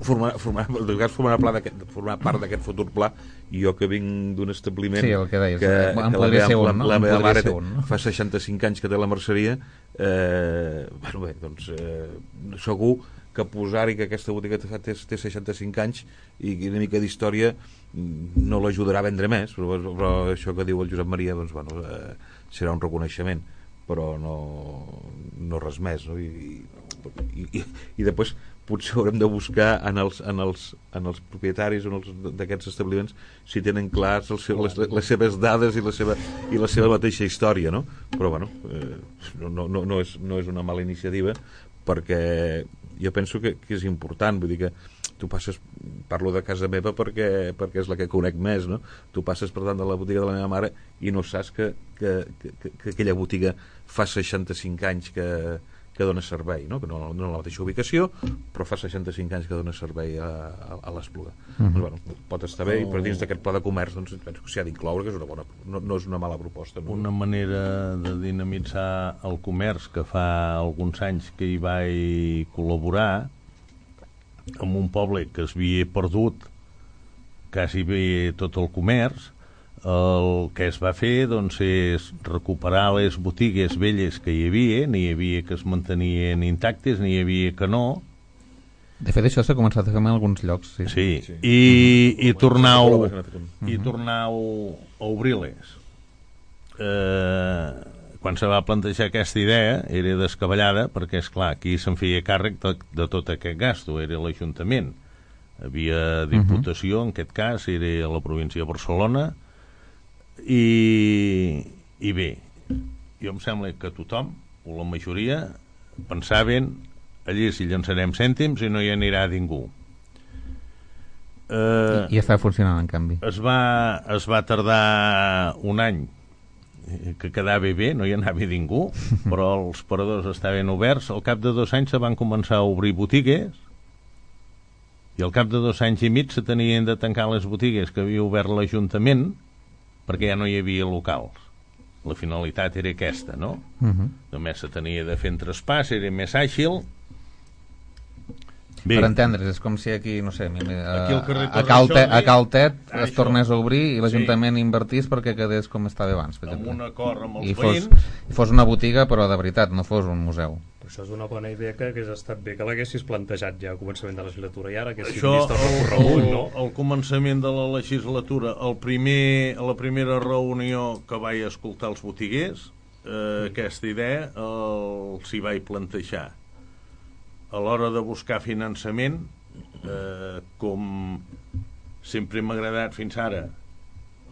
formar, formar, formar, pla formar part d'aquest futur pla, i jo que vinc d'un establiment sí, el que, deies, que, que la, meva, ser un, no? la, la meva mare un, no? fa seixanta-cinc anys que té la merceria, eh, bueno, bé, doncs eh, segur que posar-hi que aquesta botiga té, té seixanta-cinc anys i una mica d'història no l'ajudarà a vendre més, però, però això que diu el Josep Maria doncs, bueno, eh, serà un reconeixement, però no, no res més, no? I, i, i, i després potser haurem de buscar en els, en els, en els propietaris d'aquests establiments si tenen clars els, les, les seves dades i la seva, i la seva mateixa història, no? Però bueno, eh, no, no, no, és, no és una mala iniciativa, perquè jo penso que, que és important, vull dir que tu passes, parlo de casa meva perquè, perquè és la que conec més, no? Tu passes per tant de la botiga de la meva mare i no saps que, que, que, que aquella botiga fa seixanta-cinc anys que, que dona servei, no? Que no, no en la mateixa ubicació, però fa seixanta-cinc anys que dona servei a, a, a l'Espluga. Uh-huh. Doncs, bueno, pot estar bé, oh. i per dins d'aquest pla de comerç doncs, penso que s'hi ha d'incloure, que és una bona, no, no és una mala proposta. No? Una manera de dinamitzar el comerç, que fa alguns anys que hi vaig col·laborar, en un poble que es havia perdut quasi bé tot el comerç, el que es va fer doncs, és recuperar les botigues velles que hi havia, n'hi havia que es mantenien intactes, n'hi havia que no. De fet, això s'ha començat a fer en alguns llocs. Sí, sí. sí. I, i tornar-ho i tornar-ho a obrir-les. Eh... Quan se va plantejar aquesta idea era descabellada perquè, és clar, qui se'n feia càrrec de, de tot aquest gasto era l'Ajuntament. Havia Diputació, uh-huh. en aquest cas, era la província de Barcelona, i, i bé, jo em sembla que tothom, o la majoria, pensaven allí si llançarem cèntims i no hi anirà ningú. Eh, I, I està funcionant, en canvi. Es va, es va tardar un any que quedava bé, no hi anava ningú, però els paradors estaven oberts. Al cap de dos anys se van començar a obrir botigues i al cap de dos anys i mig se tenien de tancar les botigues que havia obert l'Ajuntament perquè ja no hi havia locals. La finalitat era aquesta, no? Uh-huh. Només se tenia de fer en traspàs, era més àgil. Bé. Per entendre's, és com si aquí, no sé, a, a, Caltet, a Caltet es això. tornés a obrir i l'Ajuntament sí. invertís perquè quedés com estava abans, per exemple. Amb un acord amb els I veïns. Fos, fos una botiga, però de veritat, no fos un museu. Això és una bona idea que hagués estat bé que l'haguessis plantejat ja al començament de la legislatura i ara que això, vist el recorregut, no? Al començament de la legislatura, el primer, a la primera reunió que vaig escoltar els botiguers, eh, mm. aquesta idea els hi vaig plantejar. A l'hora de buscar finançament, eh, com sempre m'ha agradat fins ara,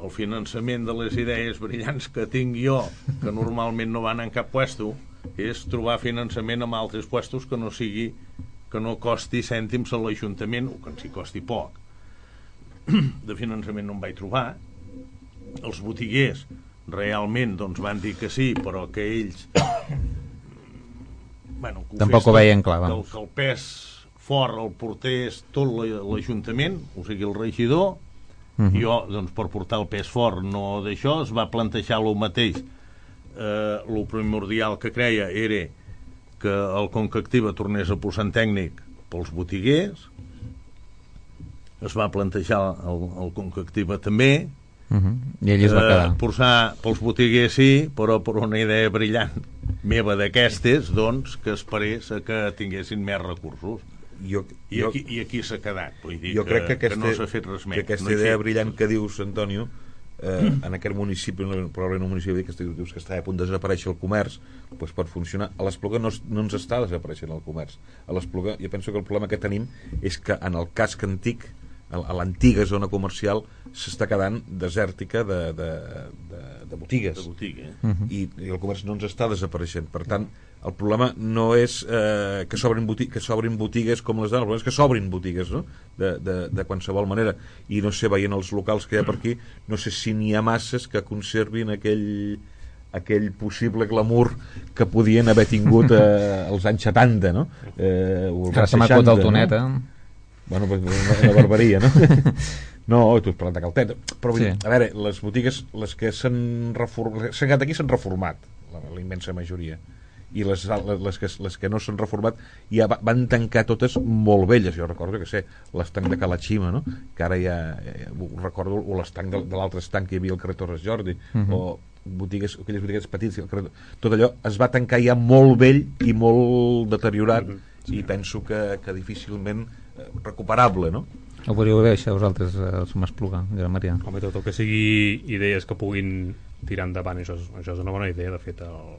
el finançament de les idees brillants que tinc jo, que normalment no van en cap puesto, és trobar finançament en altres puestos que no sigui, que no costi cèntims a l'Ajuntament, o que ens hi costi poc. De finançament no en vaig trobar. Els botiguers realment doncs, van dir que sí, però que ells... Bueno, que tampoc ho veien clar, que el, que el pes fort el portés tot l'Ajuntament, o sigui el regidor. Uh-huh. Jo, doncs, per portar el pes fort no d'això, es va plantejar el mateix. Eh, el primordial que creia era que el Conca Activa tornés a posar en tècnic pels botiguers. Es va plantejar el, el Conca Activa també, Uh -huh. I ell es va quedar. Eh, posar pels botiguers sí, però per una idea brillant meva d'aquestes, doncs, que esperés a que tinguessin més recursos. Jo, I, jo, aquí, i aquí s'ha quedat, vull dir jo que, crec que, aquesta, que no s'ha fet res més. Que aquesta no idea fet... brillant que dius, Antonio, eh, en aquest municipi, probablement un municipi que dius que està a punt de desaparèixer el comerç, doncs pot funcionar. A l'Espluga no, no ens està desapareixent el comerç. A l'Espluga, jo penso que el problema que tenim és que en el casc antic, a l'antiga zona comercial, s'està quedant desèrtica de, de, de, de botigues. De botiga, eh? Uh -huh. I, i el comerç no ens està desapareixent. Per tant, el problema no és eh, que s'obrin botigues, que s'obrin botigues com les d'ara, el problema és que s'obrin botigues, no? de, de, de qualsevol manera. I no sé, veient els locals que hi ha per aquí, no sé si n'hi ha masses que conservin aquell aquell possible glamour que podien haver tingut eh, als anys setanta, no? Eh, o als Ara se m'ha acut el tonet, no? eh? Bueno, pues, una, una barbaria, no? No, tu has parlat de Caltet. Però, sí. A veure, les botigues, les que s'han reformat, s'han quedat aquí s'han reformat, la, la immensa majoria. I les, les, que, les que no s'han reformat ja van tancar totes molt velles. Jo recordo, que sé, l'estanc de Cala Xima, no? Que ara ja, ja ho recordo, o l'estanc de, de l'altre estanc que hi havia al carrer Torres Jordi, uh -huh. o botigues, aquelles botigues petites, carrer, tot allò es va tancar ja molt vell i molt deteriorat, uh -huh. Sí. I penso que, que difícilment recuperable, no? Ho podríeu haver això vosaltres, els M'Espluga, Gran Maria? Home, tot el que sigui idees que puguin tirar endavant, això és, això és una bona idea. De fet, el...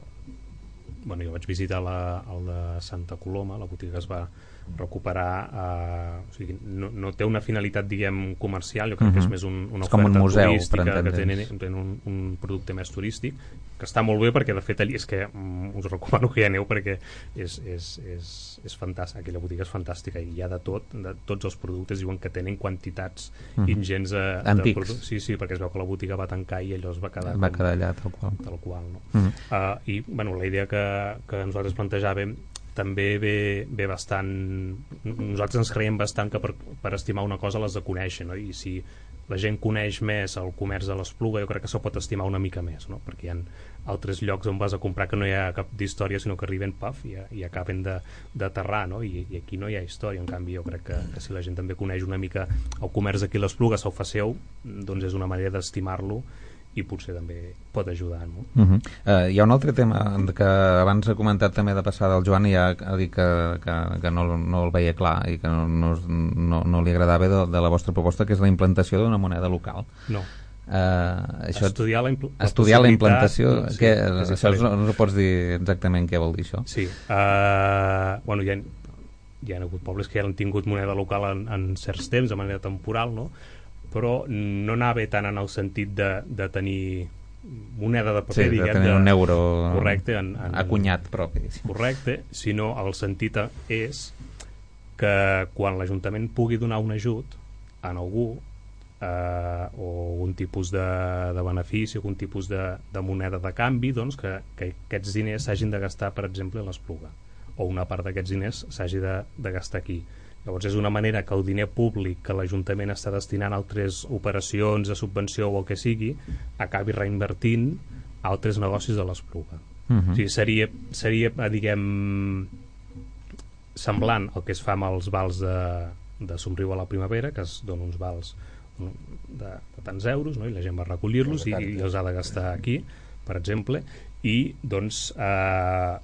bueno, jo vaig visitar la, el de Santa Coloma, la botiga que es va recuperar, eh, o sigui, no, no té una finalitat, diguem, comercial, jo crec uh -huh. que és més un, una és com oferta un museu, turística, que tenen, tenen un, un producte més turístic, que està molt bé, perquè de fet allí és que mm, us recomano que hi aneu, perquè és, és, és, és fantàstic, aquella botiga és fantàstica, i hi ha de tot, de tots els productes, diuen que tenen quantitats uh -huh. ingents de, antics. de productes. Sí, sí, perquè es veu que la botiga va tancar i allò es va quedar, va com, quedar allà tal qual, tal qual, no? Uh -huh. uh, i bueno, la idea que, que nosaltres plantejàvem també ve, ve bastant, nosaltres ens creiem bastant que per, per estimar una cosa l'has de conèixer, no? I si la gent coneix més el comerç de l'Espluga, jo crec que se pot estimar una mica més, no? Perquè hi ha altres llocs on vas a comprar que no hi ha cap d'història, sinó que arriben, paf, i, i acaben d'aterrar, no? I, i aquí no hi ha història. En canvi, jo crec que, que si la gent també coneix una mica el comerç d'aquí a l'Espluga, se'l fa seu, doncs és una manera d'estimar-lo i potser també pot ajudar, no? Uh -huh. uh, hi ha un altre tema que abans ha comentat també de passada el Joan, i ja ha dit que, que, que no, no el veia clar i que no, no, no, no li agradava de, de la vostra proposta, que és la implantació d'una moneda local. No. Uh, això, estudiar la, impl estudiar la implantació, sí, que, és això no, no pots dir exactament què vol dir això? Sí, uh, bueno, hi ha, hi ha hagut pobles que ja han tingut moneda local en, en certs temps, de manera temporal, no? Però no anava tant en el sentit de, de tenir moneda de paper, sí, diguem, de tenir de, un euro correcte, en, en, acunyat propi. Correcte, sinó el sentit és que quan l'Ajuntament pugui donar un ajut a algú, eh, o un tipus de, de benefici, algun tipus de, de moneda de canvi, doncs que, que aquests diners s'hagin de gastar, per exemple, a l'Espluga, o una part d'aquests diners s'hagi de, de gastar aquí. Llavors és una manera que el diner públic que l'Ajuntament està destinant a altres operacions de subvenció o el que sigui, acabi reinvertint a altres negocis de l'Espluga. Uh -huh. O sigui, seria, seria, diguem, semblant al que es fa amb els vals de, de Somriu a la Primavera, que es donen uns vals de, de tants euros, no? I la gent va recollir-los i, i els ha de gastar aquí, per exemple, i doncs eh,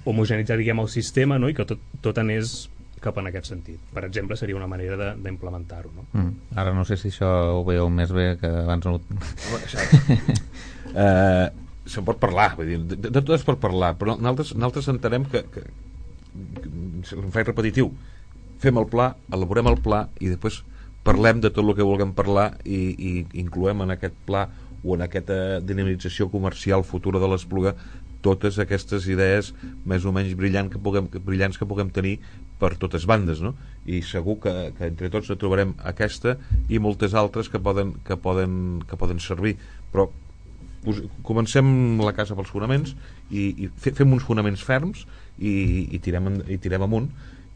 homogenitzar, diguem, el sistema, no? I que tot, tot anés cap en aquest sentit. Per exemple, seria una manera d'implementar-ho, no? Mm. Ara no sé si això ho veieu més bé que abans no... uh, se'n pot parlar, vull dir, de, de tot es pot parlar, però nosaltres, nosaltres entenem que, que, que em faig repetitiu, fem el pla, elaborem el pla i després parlem de tot el que vulguem parlar i, i incloem en aquest pla o en aquesta dinamització comercial futura de l'Espluga totes aquestes idees més o menys brillants que puguem, brillants que puguem tenir per totes bandes, no? I segur que, que entre tots trobarem aquesta i moltes altres que poden, que poden, que poden servir, però us, comencem la casa pels fonaments i, i fem uns fonaments ferms i, i, tirem, i tirem amunt,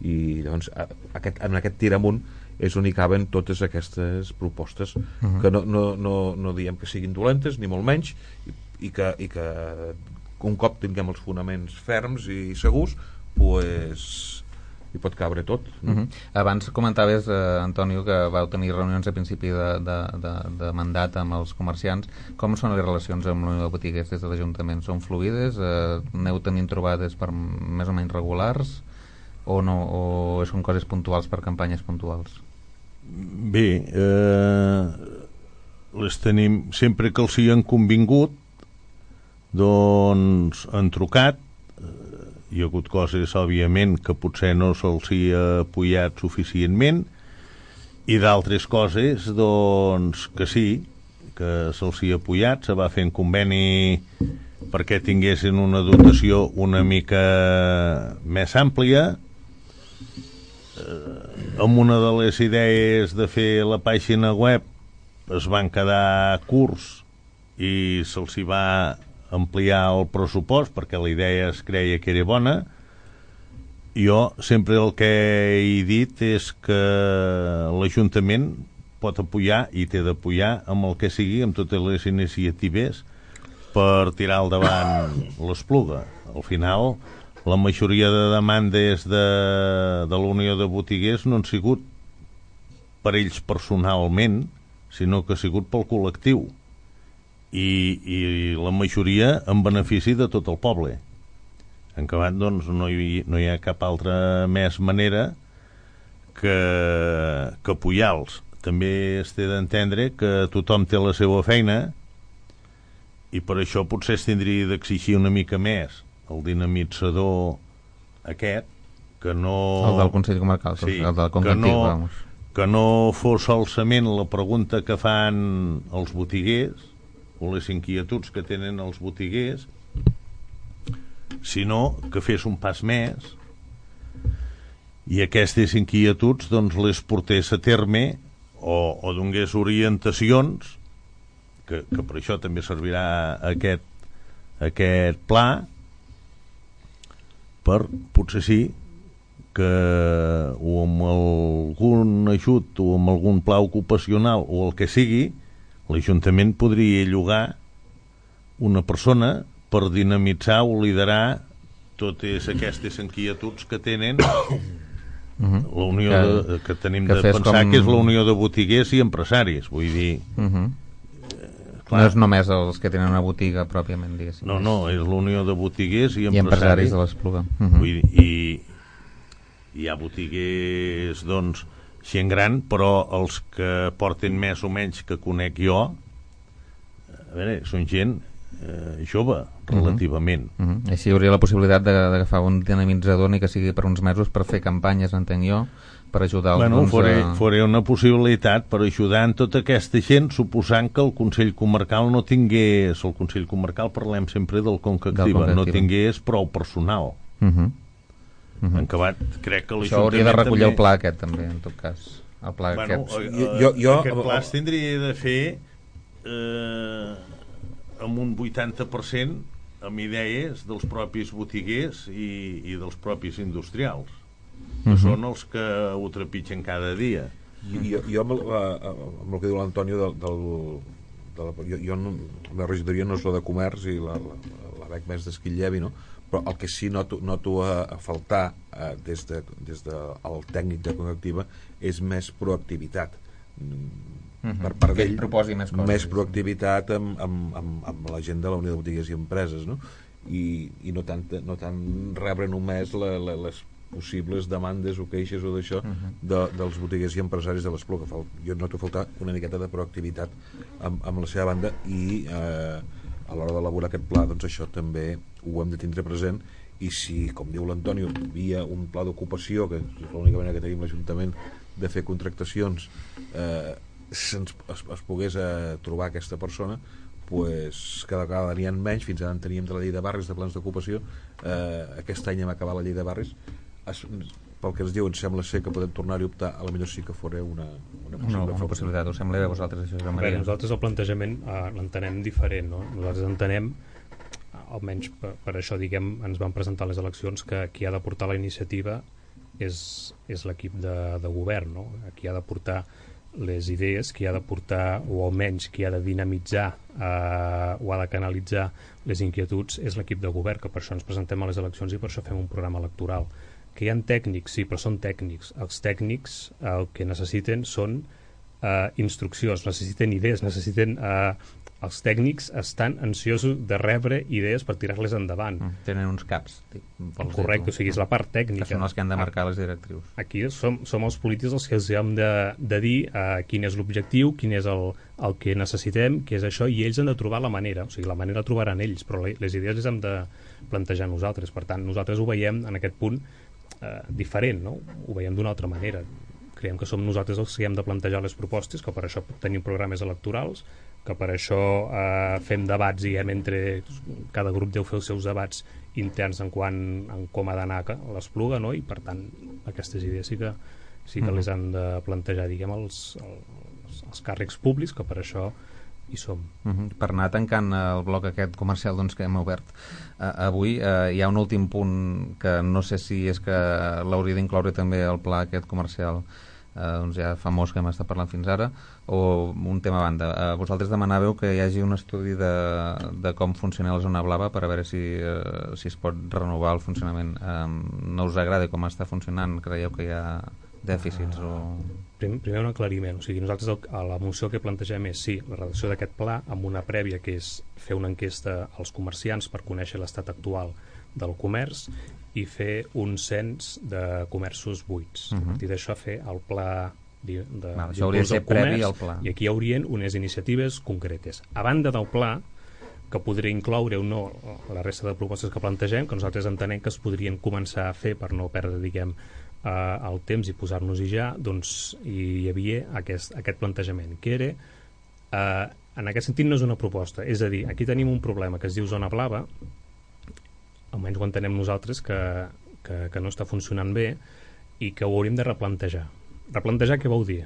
i llavors aquest, en aquest tir amunt és on hi caben totes aquestes propostes, uh -huh. que no, no, no, no diem que siguin dolentes ni molt menys, i, i, que, i que un cop tinguem els fonaments ferms i segurs, pues, hi pot cabre tot. Uh -huh. Abans comentaves, eh, Antonio, que vau tenir reunions a principi de, de, de, de mandat amb els comerciants. Com són les relacions amb l'Unió de Botiguers des de l'Ajuntament? Són fluides? Eh, aneu tenint trobades per més o menys regulars? O, no, o són coses puntuals per campanyes puntuals? Bé, eh, les tenim sempre que els hi han convingut, doncs han trucat. Hi ha hagut coses, òbviament, que potser no se'ls hi ha apoyat suficientment, i d'altres coses, doncs, que sí, que se'ls hi ha apoyat. Se va fer un conveni perquè tinguessin una dotació una mica més àmplia. Eh, amb una de les idees de fer la pàgina web es van quedar curts i se'ls hi va ampliar el pressupost perquè la idea es creia que era bona. Jo sempre el que he dit és que l'Ajuntament pot apoyar i té d'apoyar amb el que sigui, amb totes les iniciatives per tirar al davant l'Espluga. Al final, la majoria de demandes de, de la Unió de Botiguers no han sigut per ells personalment, sinó que ha sigut pel col·lectiu. I, i la majoria en benefici de tot el poble. En acabat, doncs, no hi, no hi ha cap altra més manera que, que apoyar-los. També es té d'entendre que tothom té la seva feina i per això potser es tindria d'exigir una mica més el dinamitzador aquest, que no... El del Consell Comarcal, sí, el del que no, que no fos solament la pregunta que fan els botiguers o les inquietuds que tenen els botiguers, sinó que fes un pas més i aquestes inquietuds doncs les portés a terme o, o donés orientacions, que, que per això també servirà aquest, aquest pla, per potser sí que o amb algun ajut o amb algun pla ocupacional o el que sigui, l'Ajuntament podria llogar una persona per dinamitzar o liderar totes aquestes inquietuds que tenen la Unió de, que tenim que de pensar com... que és la Unió de Botiguers i Empresaris, vull dir uh -huh. no és només els que tenen una botiga pròpiament, diguéssim. No, no, és la Unió de Botiguers i Empresaris, I empresaris de l'Espluga. Uh -huh. Vull dir, i hi ha botiguers, doncs, gent gran, però els que porten més o menys que conec jo, a veure, són gent eh, jove, relativament. Uh -huh. Uh -huh. Així hi hauria la possibilitat d'agafar un dinamitzador, ni que sigui per uns mesos, per fer campanyes, entenc jo, per ajudar els... Bueno, doncs, faré, a... faré una possibilitat per ajudar en tota aquesta gent, suposant que el Consell Comarcal no tingués, el Consell Comarcal parlem sempre del Conca Activa, no tingués prou personal. Uh -huh. Uh -huh. En acabat, crec que això hauria de recollir també... el pla aquest també, en tot cas el pla bueno, aquest jo, jo, jo, aquest pla es tindria de fer eh, amb un vuitanta per cent amb idees dels propis botiguers i, i dels propis industrials, que uh -huh. són els que ho trepitgen cada dia. I, jo, jo amb, el, amb el que diu l'Antonio del, del, de la, jo, jo no, la regidoria no és la de comerç i la, la, la veig més d'Esquitllèvi, no? Però el que sí noto, noto a, a faltar eh, des, de, des del de, tècnic de Conca Activa és més proactivitat. Uh-huh. Per part d'ell, proposi més coses, més proactivitat amb, amb, amb, amb la gent de la Unió de Botiguers i Empreses, no? I, i no, tant, no tant rebre només la, la, les possibles demandes o queixes o d'això uh-huh. de, dels botiguers i empresaris de l'Espluga. Jo noto faltar una miqueta de proactivitat amb, amb la seva banda i eh, a l'hora d'elaborar aquest pla, doncs això també ho hem de tindre present, i si, com diu l'Antonio, via un pla d'ocupació, que és l'única manera que tenim l'Ajuntament de fer contractacions, eh, se'ns, es, es pogués eh, trobar aquesta persona, pues, cada vegada n'hi ha menys. Fins ara en teníem de la llei de barris, de plans d'ocupació, eh, aquest any hem acabat la llei de barris. Es, pel que ens diu, ens sembla ser que podem tornar-hi a optar, a lo millor sí que fora una, una, no, una possibilitat. Us sembla bé a vosaltres això, Joan Maria? Bé, nosaltres el plantejament eh, l'entenem diferent, no? Nosaltres entenem, almenys per, per això diguem, ens van presentar les eleccions, que qui ha de portar la iniciativa és, és l'equip de, de govern, no? Qui ha de portar les idees, qui ha de portar, o almenys qui ha de dinamitzar eh, o ha de canalitzar les inquietuds és l'equip de govern, que per això ens presentem a les eleccions i per això fem un programa electoral. Que hi ha tècnics, sí, però són tècnics. Els tècnics el que necessiten són eh, instruccions, necessiten idees, necessiten... Eh, els tècnics estan ansiosos de rebre idees per tirar-les endavant. Mm, tenen uns caps. Correcte, o sigui, és la part tècnica. Que són els que han de marcar les directrius. Aquí som, som els polítics els que els hem de, de dir eh, quin és l'objectiu, quin és el, el que necessitem, què és això, i ells han de trobar la manera. O sigui, la manera la trobaran ells, però les idees les hem de plantejar nosaltres. Per tant, nosaltres ho veiem en aquest punt eh, diferent, no? Ho veiem d'una altra manera. Creiem que som nosaltres els que hem de plantejar les propostes, que per això tenim programes electorals, que per això eh, fem debats, diguem, entre cada grup deu fer els seus debats interns en quant en com ha d'anar l'Espluga, no? I per tant aquestes idees sí que, sí que mm. les han de plantejar, diguem, els, els, els càrrecs públics, que per això hi som. Mm-hmm. Per anar tancant el bloc aquest comercial doncs, que hem obert uh, avui, uh, hi ha un últim punt que no sé si és que l'hauria d'incloure també el pla aquest comercial Uh, doncs ja famós que hem estat parlant fins ara, o un tema a banda. Uh, vosaltres demanàveu que hi hagi un estudi de, de com funciona la zona blava per a veure si, uh, si es pot renovar el funcionament. Um, no us agrada com està funcionant? Creieu que hi ha dèficits? Uh, o... Primer, primer un aclariment. O sigui, nosaltres el, a la moció que plantegem és sí, la redacció d'aquest pla amb una prèvia que és fer una enquesta als comerciants per conèixer l'estat actual del comerç i fer un cens de comerços buits. Uh-huh. A partir d'això fer el pla de, de, Val, això hauria de ser previ al pla. I aquí hi haurien unes iniciatives concretes. A banda del pla, que podria incloure o no la resta de propostes que plantegem, que nosaltres entenem que es podrien començar a fer per no perdre, diguem, eh, el temps i posar-nos-hi ja, doncs hi havia aquest, aquest plantejament, que era, eh, en aquest sentit no és una proposta, és a dir, aquí tenim un problema que es diu zona blava, almenys ho entenem nosaltres, que, que, que no està funcionant bé i que ho hauríem de replantejar. Replantejar què vol dir?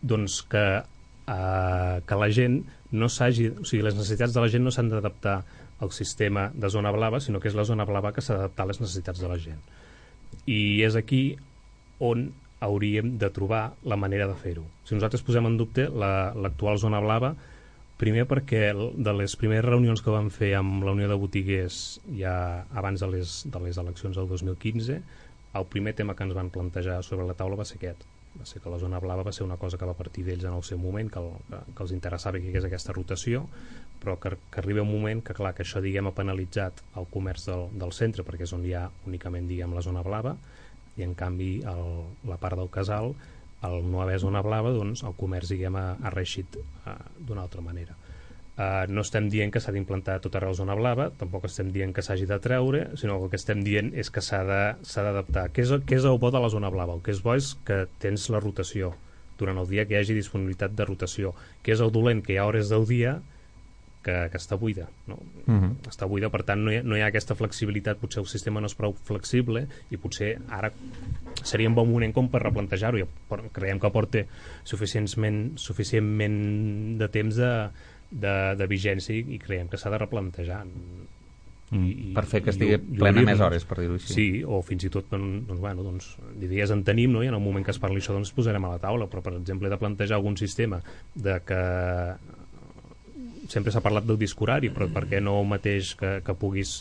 Doncs que, eh, que la gent no s'hagi... O sigui, les necessitats de la gent no s'han d'adaptar al sistema de zona blava, sinó que és la zona blava que s'ha d'adaptar a les necessitats de la gent. I és aquí on hauríem de trobar la manera de fer-ho. Si nosaltres posem en dubte l'actual la, zona blava, primer perquè de les primeres reunions que vam fer amb la Unió de Botiguers ja abans de les, de les eleccions del dos mil quinze, el primer tema que ens van plantejar sobre la taula va ser aquest. Va ser que la zona blava va ser una cosa que va partir d'ells en el seu moment, que, el, que, que els interessava que hi hagués aquesta rotació, però que, que arriba un moment que, clar, que això, diguem, ha penalitzat el comerç del, del centre, perquè és on hi ha únicament, diguem, la zona blava, i en canvi el, la part del casal, al no haver zona blava, doncs el comerç, diguem, ha, ha reeixit uh, d'una altra manera. Uh, no estem dient que s'ha d'implantar tot arreu zona blava, tampoc estem dient que s'hagi de treure, sinó que el que estem dient és que s'ha d'adaptar. Què, és, què és el bo de la zona blava? El que és bo és que tens la rotació durant el dia, que hi hagi disponibilitat de rotació. Què és el dolent? Que hi ha hores del dia que, que està buida, no? Uh-huh. Està buida, per tant no hi, ha, no hi ha aquesta flexibilitat, potser el sistema no és prou flexible i potser ara seria un bon moment com per replantejar-ho. Creiem que porta suficientment, suficientment de temps de, de, de vigència i creiem que s'ha de replantejar. I, per fer que estigui i, plena i més hores, per dir-ho així. Sí, o fins i tot doncs, doncs, bueno, doncs, d'idees en tenim, no? I en el moment que es parli això doncs posarem a la taula, però per exemple de plantejar algun sistema de que sempre s'ha parlat del disc horari, però per què no el mateix que, que puguis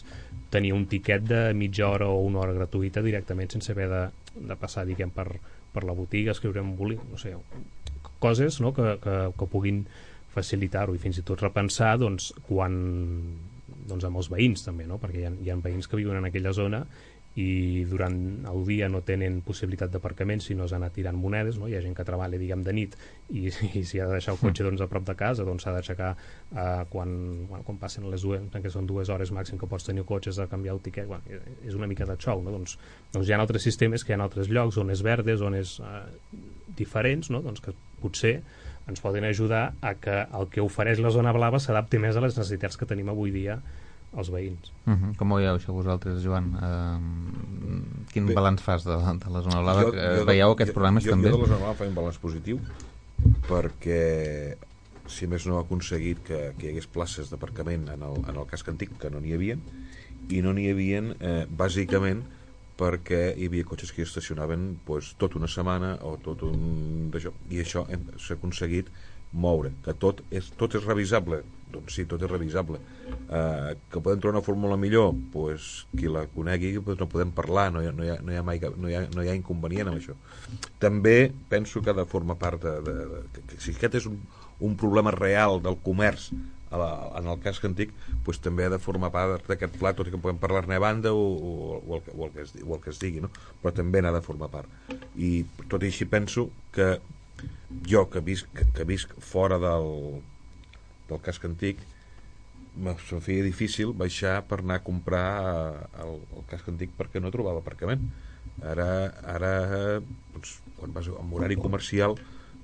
tenir un tiquet de mitja hora o una hora gratuïta directament sense haver de, de passar, diguem, per, per la botiga, escriure un boli, no sé, coses, no? que, que, que puguin facilitar-ho i fins i tot repensar doncs, quan, doncs, amb els veïns també, no? Perquè hi ha, hi ha veïns que viuen en aquella zona i durant el dia no tenen possibilitat d'aparcament si no s'ha anat tirant monedes, no? Hi ha gent que treballa, diguem, de nit i, i si ha de deixar el cotxe doncs, a prop de casa doncs s'ha d'aixecar eh, quan, bueno, quan passen les dues, que són dues hores màxim que pots tenir cotxes a canviar el tiquet. Bueno, és una mica de xou, no? Doncs, doncs hi ha altres sistemes que hi ha altres llocs, zones verdes, zones eh, diferents, no? Doncs que potser ens poden ajudar a que el que ofereix la zona blava s'adapti més a les necessitats que tenim avui dia els veïns. Uh-huh. Com ho veieu això vosaltres, Joan? Uh, quin Bé, balanç fas de, de la zona blava? Jo, jo, veieu aquests problemes jo, també? Jo de la zona blava faig un balanç positiu perquè si més no ha aconseguit que, que hi hagués places d'aparcament en, el, en el casc antic, que no n'hi havia, i no n'hi havia eh, bàsicament perquè hi havia cotxes que hi estacionaven pues, tot una setmana o tot un d'això, i això s'ha aconseguit moure, que tot és, tot és revisable, doncs sí, tot és revisable, uh, que podem trobar una fórmula millor, pues, qui la conegui, pues, no podem parlar, no hi ha, no hi ha, no hi ha, mai, no hi ha, no hi ha inconvenient amb això. També penso que ha de formar part de, de, de, de que si aquest és un, un problema real del comerç a la, en el casc antic, pues, també ha de formar part d'aquest pla, tot i que podem parlar-ne a banda o, o, o, el, o, el que es, o el que es digui, no? Però també n'ha de formar part, i tot i així penso que jo que visc, que visc fora del del casc antic, se'm feia difícil baixar per anar a comprar el, el casc antic perquè no trobava aparcament. Ara, ara doncs, quan vas en horari comercial,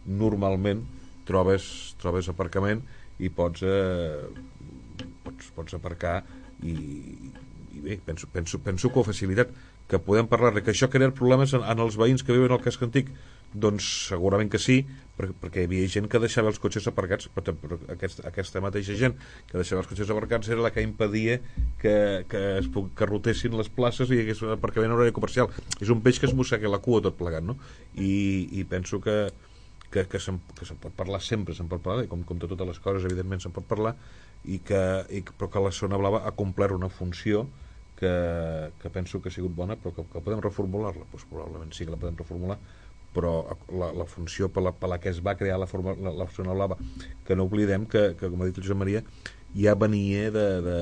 normalment trobes, trobes aparcament i pots, eh, pots, pots aparcar i, i bé, penso, penso, penso que ho ha facilitat, que podem parlar de que això ha creat problemes en, en els veïns que viuen al casc antic. Doncs segurament que sí, perquè, perquè hi havia gent que deixava els cotxes aparcats, però, però aquest, aquesta mateixa gent que deixava els cotxes aparcats era la que impedia que, que es puc, que rotessin les places i hi hagués un aparcament en horari comercial. És un peix que es mossega la cua tot plegat, no? I, i penso que que, que se'n que se'n pot parlar sempre, se'n pot parlar, i com, com de totes les coses evidentment se'n pot parlar, i que, i, però que la zona blava ha complert una funció que, que penso que ha sigut bona, però que, que podem reformular-la, doncs probablement sí que la podem reformular, però la, la funció per la, per la que es va crear la, forma, la, la zona blava, que no oblidem que, que com ha dit el Josep Maria, ja venia de, de,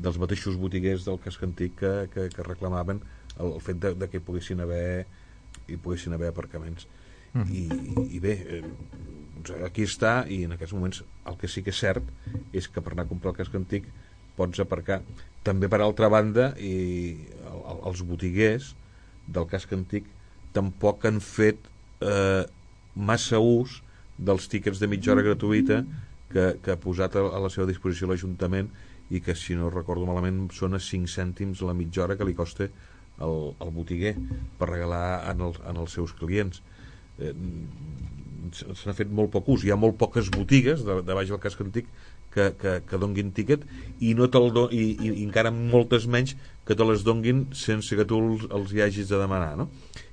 dels mateixos botiguers del casc antic que, que, que reclamaven el, el fet de, de que hi poguessin haver hi poguessin haver aparcaments. Mm. I, i bé, eh, aquí està, i en aquests moments el que sí que és cert és que per anar a comprar el casc antic pots aparcar. També, per altra banda, i el, el, els botiguers del casc antic tampoc han fet eh, massa ús dels tíquets de mitja hora gratuïta que, que ha posat a, a la seva disposició l'Ajuntament, i que, si no recordo malament, són a cinc cèntims la mitja hora que li costa el, el botiguer per regalar en, el, en els seus clients. Eh, se n'ha fet molt poc ús. Hi ha molt poques botigues de, de baix del casc antic que, que, que donguin tíquet, i, no te'l do, i, i, i encara moltes menys que te les donguin sense que tu els, els hi hagis de demanar, no?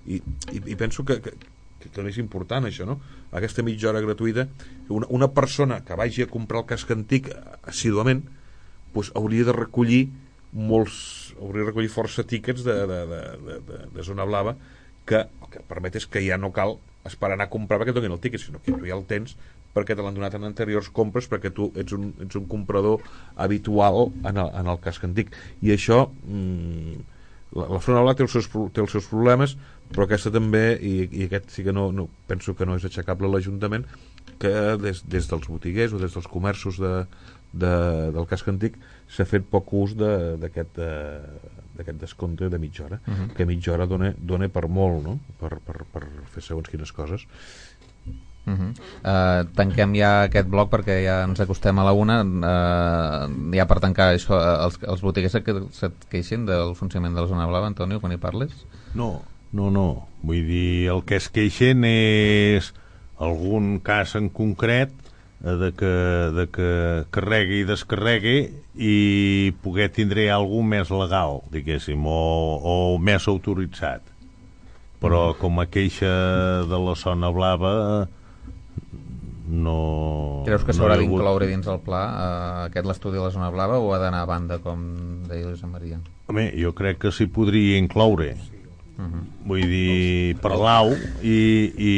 I, i, i penso que, que, que és important això, no? Aquesta mitja hora gratuïta, una, una persona que vagi a comprar el casc antic assíduament, pues, hauria de recollir molts, hauria de recollir força tíquets de, de, de, de, de, de zona blava, que el que permet és que ja no cal esperar a anar a comprar perquè et donin el tíquet, sinó que tu ja el tens perquè te l'han donat en anteriors compres, perquè tu ets un, ets un comprador habitual en el, en el casc antic. I això, mmm, la, la zona blava té els seus, té els seus problemes, però aquesta també, i, i aquest sí que no, no penso que no és aixecable a l'Ajuntament, que des, des dels botiguers o des dels comerços de, de, del casc antic s'ha fet poc ús d'aquest de, d'aquest descompte de mitja hora, uh-huh. que mitja hora dona, dona per molt, no? per, per, per fer segons quines coses. Uh-huh. Uh, tanquem ja aquest bloc perquè ja ens acostem a la una. Uh, ja per tancar això, els, els botiguers que se't queixin del funcionament de la zona blava, Antonio, quan hi parles? No, no, no, vull dir, el que es queixen és algun cas en concret de que, de que carregui i descarregui i poder tindre algú més legal, diguéssim, o, o més autoritzat, però com a queixa de la zona blava no... Creus que no s'haurà hagut... d'incloure dins el pla uh, aquest l'estudi de la zona blava, o ha d'anar a banda, com deia Josep Maria? Home, jo crec que s'hi podria incloure. Uh-huh. Vull dir, parlar-ho i, i,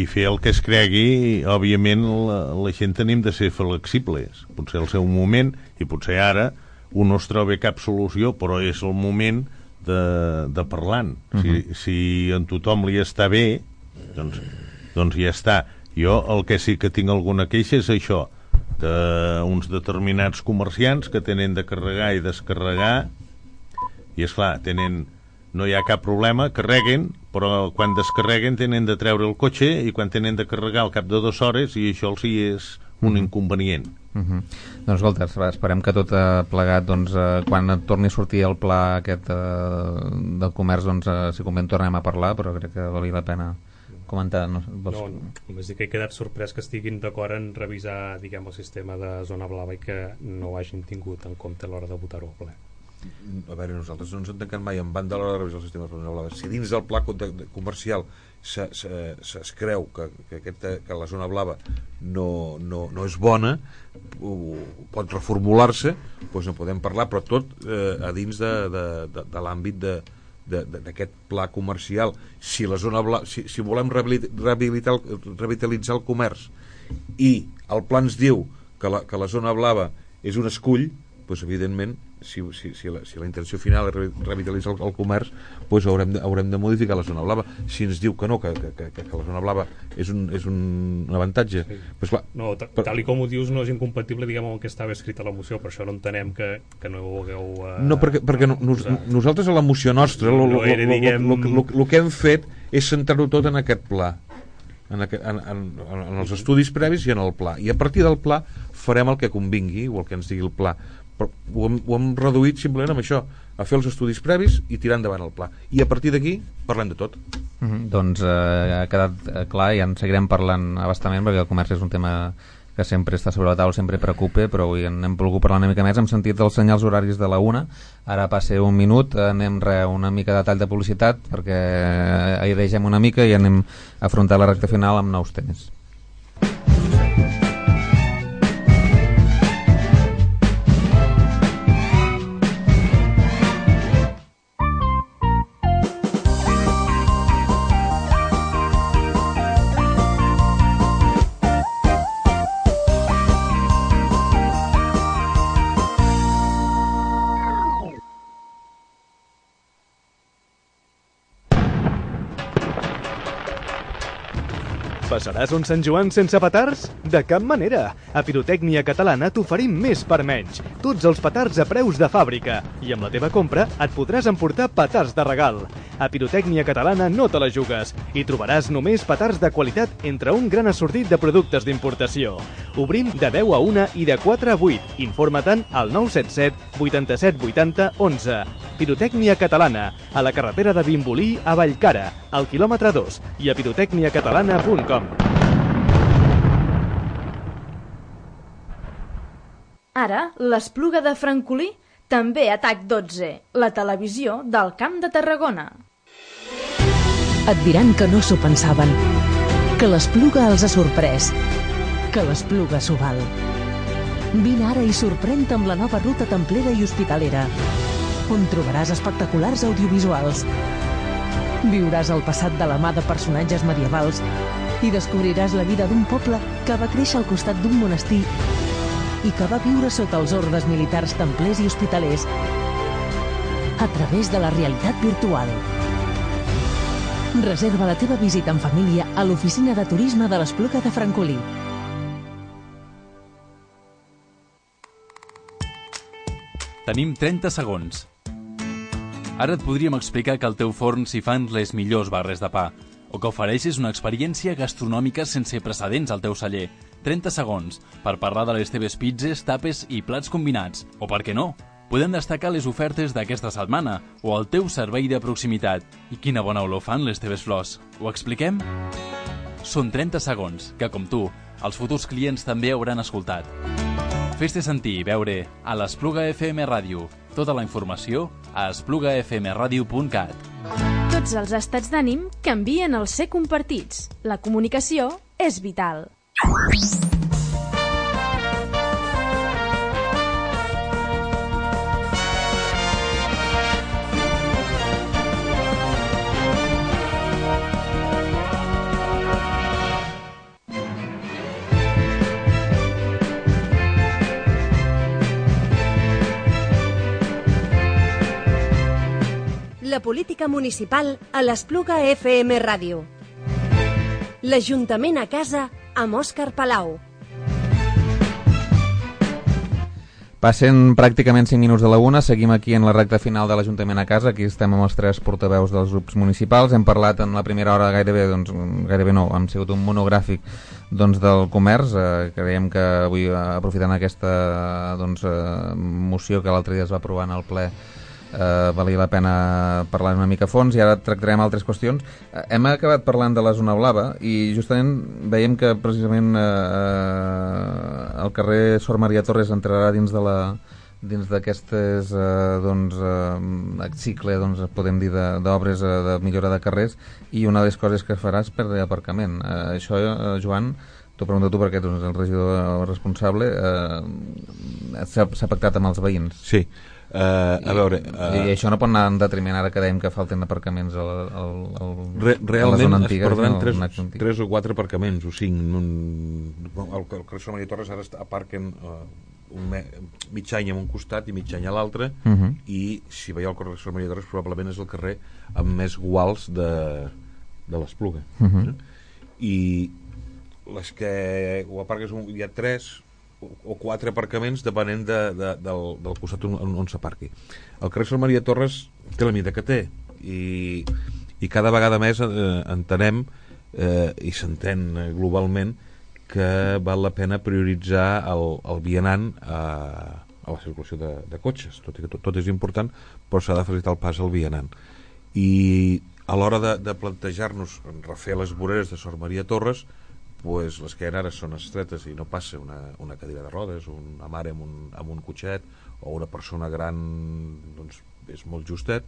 i fer el que es cregui. Òbviament la, la gent tenim de ser flexibles, potser al seu moment, i potser ara un no es troba cap solució, però és el moment de, de parlar-ne. Uh-huh. si, si en tothom li està bé, doncs, doncs ja està. Jo el que sí que tinc alguna queixa és això, d'uns determinats comerciants que tenen de carregar i descarregar, i esclar, tenen, no hi ha cap problema, carreguen, però quan descarreguen tenen de treure el cotxe, i quan tenen de carregar al cap de dues hores, i això els hi és un inconvenient. Uh-huh. Doncs escolta, esperem que tot uh, plegat, doncs, uh, quan torni a sortir el pla aquest uh, del comerç, doncs, uh, si convé en tornem a parlar, però crec que valia la pena comentar. No, vols... no, només dic que he quedat sorprès que estiguin d'acord en revisar, diguem, el sistema de zona blava i que no ho hagin tingut en compte a l'hora de votar-ho a ple. A veure, nosaltres no ens han tancat mai en banda a l'hora de revisar el sistema de zona blava. Si dins del pla comercial se, se, se es creu que, que, aquesta, que la zona blava no, no, no és bona, pot reformular-se, doncs en podem parlar, però tot eh, a dins de, de, de, de l'àmbit de d'aquest pla comercial. Si la zona blava, si, si volem rehabilitar, revitalitzar el comerç i el pla ens diu que la, que la zona blava és un escull, doncs evidentment si, si, si, la, si la intenció final és revitalitzar el, el comerç, doncs haurem de, haurem de modificar la zona blava. Si ens diu que no, que, que, que, que la zona blava és un, és un, un avantatge, sí. Pues clar, no, per... tal i com ho dius no és incompatible, diguem, amb el que estava escrit a la moció, per això no entenem que, que no ho hagueu uh, no, perquè, perquè no, nos, nosaltres a la moció nostra el no diguem... que hem fet és centrar-ho tot en aquest pla, en, aquest, en, en, en els estudis previs i en el pla, i a partir del pla farem el que convingui o el que ens digui el pla. Però ho hem, ho hem reduït simplement amb això, a fer els estudis previs i tirar endavant el pla, i a partir d'aquí parlem de tot. Mm-hmm. Doncs eh, ha quedat clar i en seguirem parlant abastament, perquè el comerç és un tema que sempre està sobre la taula, sempre preocupa, però avui en hem volgut parlar una mica més. Hem sentit els senyals horaris de la una, ara passa un minut, anem re, una mica de tall de publicitat perquè hi deixem una mica i anem a afrontar la recta final amb nous temes. Passaràs un Sant Joan sense petards? De cap manera! A Pirotècnia Catalana t'oferim més per menys. Tots els petards a preus de fàbrica. I amb la teva compra et podràs emportar petards de regal. A Pirotècnia Catalana no te la jugues. Hi trobaràs només petards de qualitat entre un gran assortit de productes d'importació. Obrim de deu a una i de quatre a vuit. Informa-te'n al nou set set vuitanta-set vuitanta onze. Pirotècnia Catalana, a la carretera de Vimbodí a Vallcara, al quilòmetre dos, i a pirotècnia catalana punt com. Ara, l'Espluga de Francolí, també a T A C dotze, la televisió del Camp de Tarragona. Et diran que no s'ho pensaven, que l'Espluga els ha sorprès, que l'Espluga s'ho val. Vine ara i sorprèn-te amb la nova ruta templera i hospitalera, on trobaràs espectaculars audiovisuals. Viuràs el passat de la mà de personatges medievals i descobriràs la vida d'un poble que va créixer al costat d'un monestir i que va viure sota els ordes militars templers i hospitalers a través de la realitat virtual. Reserva la teva visita en família a l'oficina de turisme de l'Espluga de Francolí. Tenim trenta segons. Ara et podríem explicar que al teu forn s'hi fan les millors barres de pa, o que ofereixes una experiència gastronòmica sense precedents al teu celler. trenta segons per parlar de les teves pizzas, tapes i plats combinats. O per què no? Podem destacar les ofertes d'aquesta setmana o el teu servei de proximitat. I quina bona olor fan les teves flors. Ho expliquem? Són trenta segons que, com tu, els futurs clients també hauran escoltat. Fes-te sentir i veure a l'Espluga F M Ràdio. Tota la informació a espluga f m radio punt cat. Tots els estats d'ànim canvien al ser compartits. La comunicació és vital. La política municipal a l'Espluga F M Ràdio. L'Ajuntament a casa amb Òscar Palau. Passen pràcticament cinc minuts de la una, seguim aquí en la recta final de l'Ajuntament a casa, aquí estem amb els tres portaveus dels grups municipals, hem parlat en la primera hora gairebé, doncs, gairebé no, hem sigut un monogràfic doncs, del comerç, eh, creiem que avui aprofitant aquesta doncs, eh, moció que l'altre dia es va aprovar en el ple, Uh, valia la pena parlar una mica a fons i ara tractarem altres qüestions. Uh, hem acabat parlant de la zona blava i justament veiem que precisament uh, el carrer Sor Maria Torres entrarà dins de la, dins d'aquestes eh, doncs, eh, cicle, doncs, podem dir, d'obres de, de millora de carrers, i una de les coses que faràs per l'aparcament. Eh, això, eh, Joan, t'ho pregunto tu perquè tu ets el regidor responsable, eh, s'ha pactat amb els veïns. Sí. Uh, a veure, uh, I això no pot anar en detriment ara que dèiem que falten aparcaments al, al, al, re, realment a la zona antiga, es perdran no, tres, tres o quatre aparcaments o cinc. Un, el, el carrer Sant Maria Torres ara aparquen uh, un me, mig any en un costat i mig any a l'altre, uh -huh. i si veieu el carrer Sant Maria Torres probablement és el carrer amb més guals de, de l'Espluga. Uh -huh. I les que ho aparques, hi ha tres o quatre aparcaments depenent de, de, del, del costat on, on s'aparqui. El carrer Sant Maria Torres té la mida que té, i, i cada vegada més eh, entenem eh, i s'entén globalment que val la pena prioritzar el, el vianant a, a la circulació de, de cotxes, tot i que tot, tot és important, però s'ha de facilitar el pas al vianant. I a l'hora de, de plantejar-nos refer les voreres de Sant Maria Torres, pues les que ara són estretes i no passa una, una cadira de rodes, una mare amb un, amb un cotxet, o una persona gran, doncs és molt justet.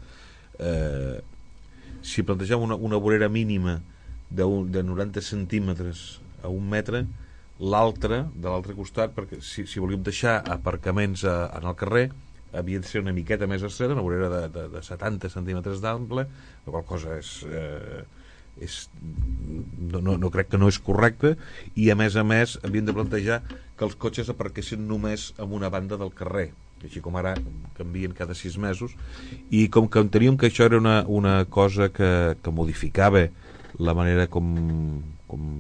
Eh, si plantegem una, una vorera mínima de, un, de noranta centímetres a un metre, l'altra, de l'altre costat, perquè si, si volíem deixar aparcaments a, en el carrer, havia de ser una miqueta més estreta, una vorera de, de, de setanta centímetres d'ample, la qual cosa és... Eh, és, no, no, no crec que no és correcte, i a més a més havien de plantejar que els cotxes aparquessin només en una banda del carrer, així com ara canvien cada sis mesos, i com que enteníem que això era una, una cosa que, que modificava la manera com, com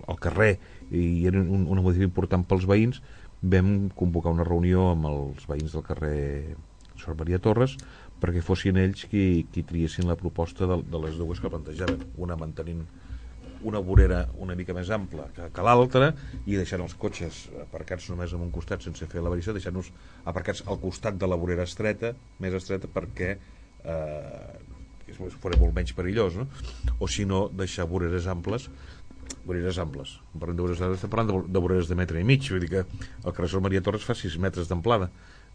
el carrer, i era un, una modificació important pels veïns, vam convocar una reunió amb els veïns del carrer Sant Maria Torres perquè fossin ells qui, qui triessin la proposta de, de les dues que plantejaven, una mantenint una vorera una mica més ampla que, que l'altra, i deixant els cotxes aparcats només en un costat sense fer la variació, deixant-nos aparcats al costat de la vorera estreta, més estreta, perquè eh, fos molt menys perillós, no? O si no, deixar voreres amples voreres amples, parlant de voreres amples, estem parlant de, de voreres de metre i mig, vull dir que el carrer Sant Maria Torres fa sis metres d'amplada,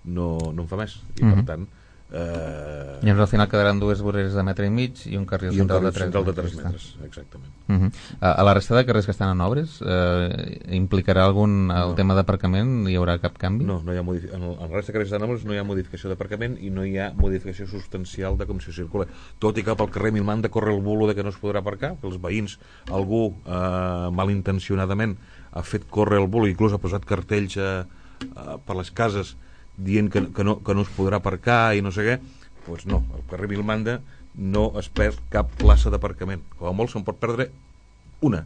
no, no en fa més, i mm-hmm. per tant Uh... i al final quedaran dues voreres de metre i mig i un carril central de tres metres, metres exactament. Uh-huh. A la resta de carrers que estan en obres eh, implicarà algun el no. tema d'aparcament? Hi haurà cap canvi? No, no hi ha modifi- en, el, en la resta de carrers que estan en obres no hi ha modificació d'aparcament i no hi ha modificació substancial de com s'hi circula, tot i que pel carrer Milman de corre el bulo de que no es podrà aparcar, que els veïns, algú eh, malintencionadament ha fet córrer el bulo, inclús ha posat cartells eh, eh, per les cases dient que, que, no, que no es podrà aparcar i no sé què, doncs no, al carrer Vilmanda no es perd cap plaça d'aparcament, com a molt se'n pot perdre una,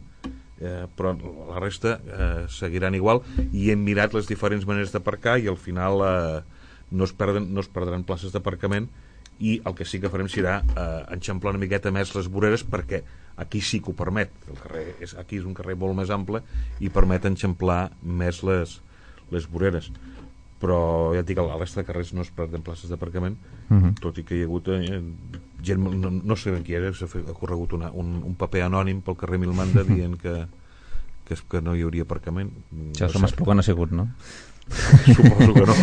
eh, però la resta eh, seguiran igual, i hem mirat les diferents maneres d'aparcar i al final eh, no, es perden, no es perdran places d'aparcament, i el que sí que farem serà eh, enxamplar una miqueta més les voreres, perquè aquí sí que ho permet, el carrer és, aquí és un carrer molt més ample i permet enxamplar més les, les voreres, però ja et dic, a la resta de carrers no es perden places d'aparcament, uh-huh. tot i que hi ha hagut eh, gent, no, no sé ben qui era, s'ha fet, ha corregut una, un, un paper anònim pel carrer Milmanda dient que, que, que no hi hauria aparcament. Això no som Espluga no ha sigut, no? Suposo que no.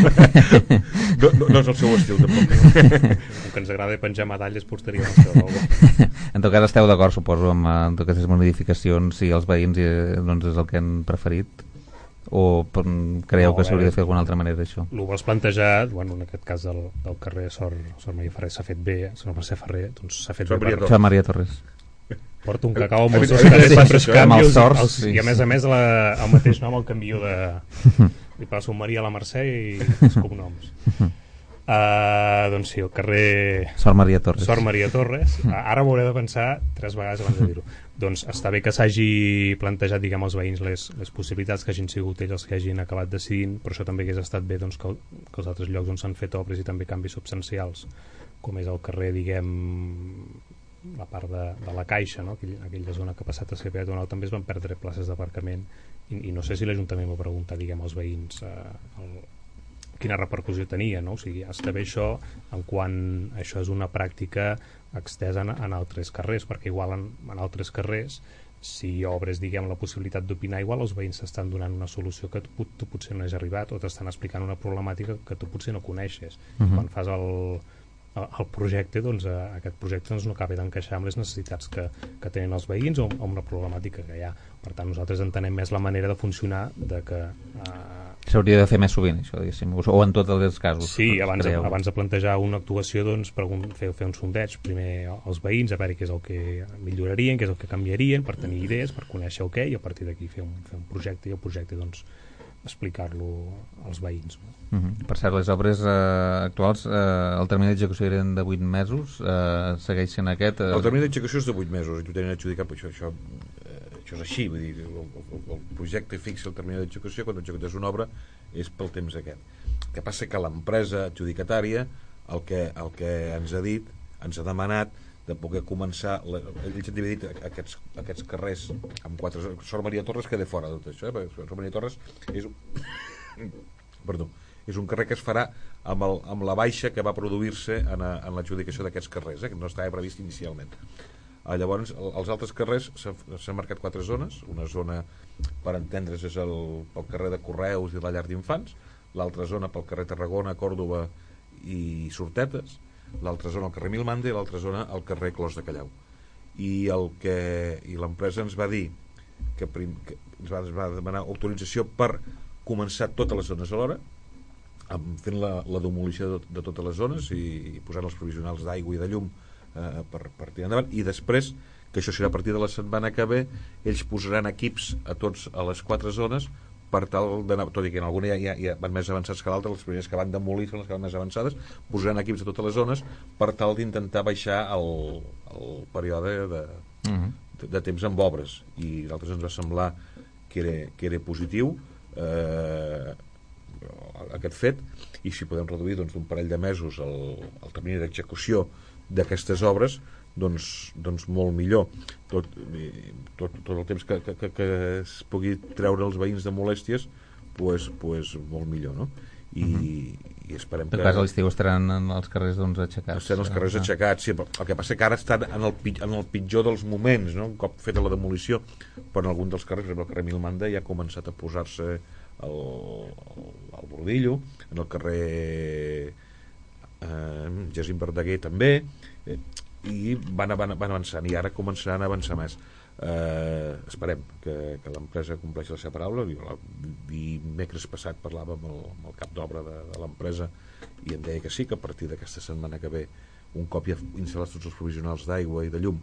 no, no. No és el seu estil, tampoc. Com que ens agrada penjar medalles posteriors. En tot cas esteu d'acord, suposo, amb, amb aquestes modificacions, si els veïns eh, doncs és el que han preferit, o creieu no, que s'hauria de fer d'alguna altra manera això? El vols plantejar, bueno, en aquest cas del, del carrer Sor, Sor Maria Ferrer s'ha fet bé, si no per ser Ferrer, doncs s'ha fet Sor bé. Sor Maria Torres. Porto un cacau amb els dos carrers sempre es canvios, els, i a més a més la, el mateix nom el canvio de li passo un Maria a la Mercè i els cognoms. Uh, doncs sí, el carrer Sor Maria Torres, Sor Maria Torres. Ara m'hauré de pensar tres vegades abans de dir-ho. Doncs està bé que s'hagi plantejat, diguem, als veïns les, les possibilitats, que hagin sigut ells els que hagin acabat decidint, però això també hagués estat bé, doncs, que, que els altres llocs on s'han fet obres i també canvis substancials, com és el carrer, diguem, la part de, de la Caixa, no? Aquell, aquella zona que ha passat a ser peatonal, també es van perdre places d'aparcament i, i no sé si l'Ajuntament va preguntar, diguem, als veïns eh, el, quina repercussió tenia, no? O sigui, està bé això en quan això és una pràctica extesa en, en altres carrers, perquè igual en, en altres carrers si obres, diguem, la possibilitat d'opinar, igual els veïns t'estan donant una solució que tu, tu potser no has arribat, o t'estan explicant una problemàtica que tu potser no coneixes. Uh-huh. Quan fas el, el projecte, doncs eh, aquest projecte doncs, no acaba d'encaixar amb les necessitats que, que tenen els veïns o amb la problemàtica que hi ha. Per tant, nosaltres entenem més la manera de funcionar de que... Eh, s'hauria de fer més sovint, això, diguéssim, o en tots els casos. Sí, abans, abans de plantejar una actuació, doncs, fer, fer un sondeig primer als veïns, a veure què és el que millorarien, què és el que canviarien, per tenir idees, per conèixer el què, i a partir d'aquí fer, un, fer un projecte, i el projecte, doncs, explicar-lo als veïns. Uh -huh. Per cert, les obres eh, actuals, eh, el termini d'execució eren de vuit mesos, eh, segueix sent aquest... Eh... El termini d'execució és de vuit mesos, i tu tenen adjudicat, això, això, eh, això és així, vull dir, el, el, el projecte fixa el termini d'execució, quan executes una obra és pel temps aquest. El que passa que l'empresa adjudicatària el que, el que ens ha dit, ens ha demanat de poder començar, la, ells han dividit aquests, aquests carrers amb quatre... Sor Maria Torres queda fora de tot això, eh? Perquè Sor Maria Torres és un... Perdó, és un carrer que es farà amb, el, amb la baixa que va produir-se en, a, en l'adjudicació d'aquests carrers, eh? Que no estava previst inicialment. Ah, llavors, els altres carrers s'han marcat quatre zones. Una zona, per entendre's, és el, el carrer de Correus i la llar d'infants, l'altra zona pel carrer Tarragona, Còrdova i Sortetes, l'altra zona al carrer Milmande i l'altra zona al carrer Clos de Callau. I el que i l'empresa ens va dir que, prim, que ens, va, ens va demanar autorització per començar totes les zones alhora, fent la, la demolició de, de totes les zones i, i posant els provisionals d'aigua i de llum eh, per, per tirar endavant, i després, que això serà a partir de la setmana que ve, ells posaran equips a tots a les quatre zones per tal d'anar, tot i que en alguna ja, ja, ja van més avançats que l'altra, les primeres que van demolir són les que van més avançades, posaran equips a totes les zones per tal d'intentar baixar el, el període de, uh-huh. de, de temps amb obres, i a nosaltres ens va semblar que era, que era positiu eh, aquest fet, i si podem reduir doncs, un parell de mesos el, el termini d'execució d'aquestes obres, doncs, doncs molt millor. Tot, tot, tot el temps que, que, que es pugui treure els veïns de molèsties, pues, pues molt millor, no? I, uh-huh. i esperem que... En cas, a l'estiu estaran en els carrers doncs, aixecats. Estaran els carrers aixecats, sí, el que passa que ara estan en el, en el pitjor dels moments, no? Un cop feta la demolició, però en algun dels carrers, el carrer Milmanda ja ha començat a posar-se el, el, el bordillo, en el carrer eh, Jacint Verdaguer també, eh, i van, van, van avançant, i ara començaran a avançar més. Eh, esperem que, que l'empresa compleixi la seva paraula. Dimecres passat parlava amb el, amb el cap d'obra de, de l'empresa i em deia que sí, que a partir d'aquesta setmana que ve, un cop ja instal·lats tots els provisionals d'aigua i de llum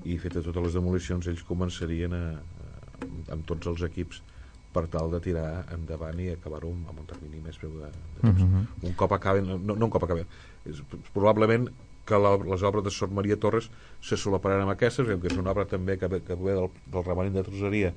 i fetes totes les demolicions, ells començarien a, a, amb tots els equips per tal de tirar endavant i acabar-ho amb un termini més breu de, de temps. Uh-huh. Un cop acaben, no, no un cop acaben, és, probablement que la, les obres de Sor Maria Torres se solaparan amb aquestes, que és una obra també que, que ve del, del remanent de tresoreria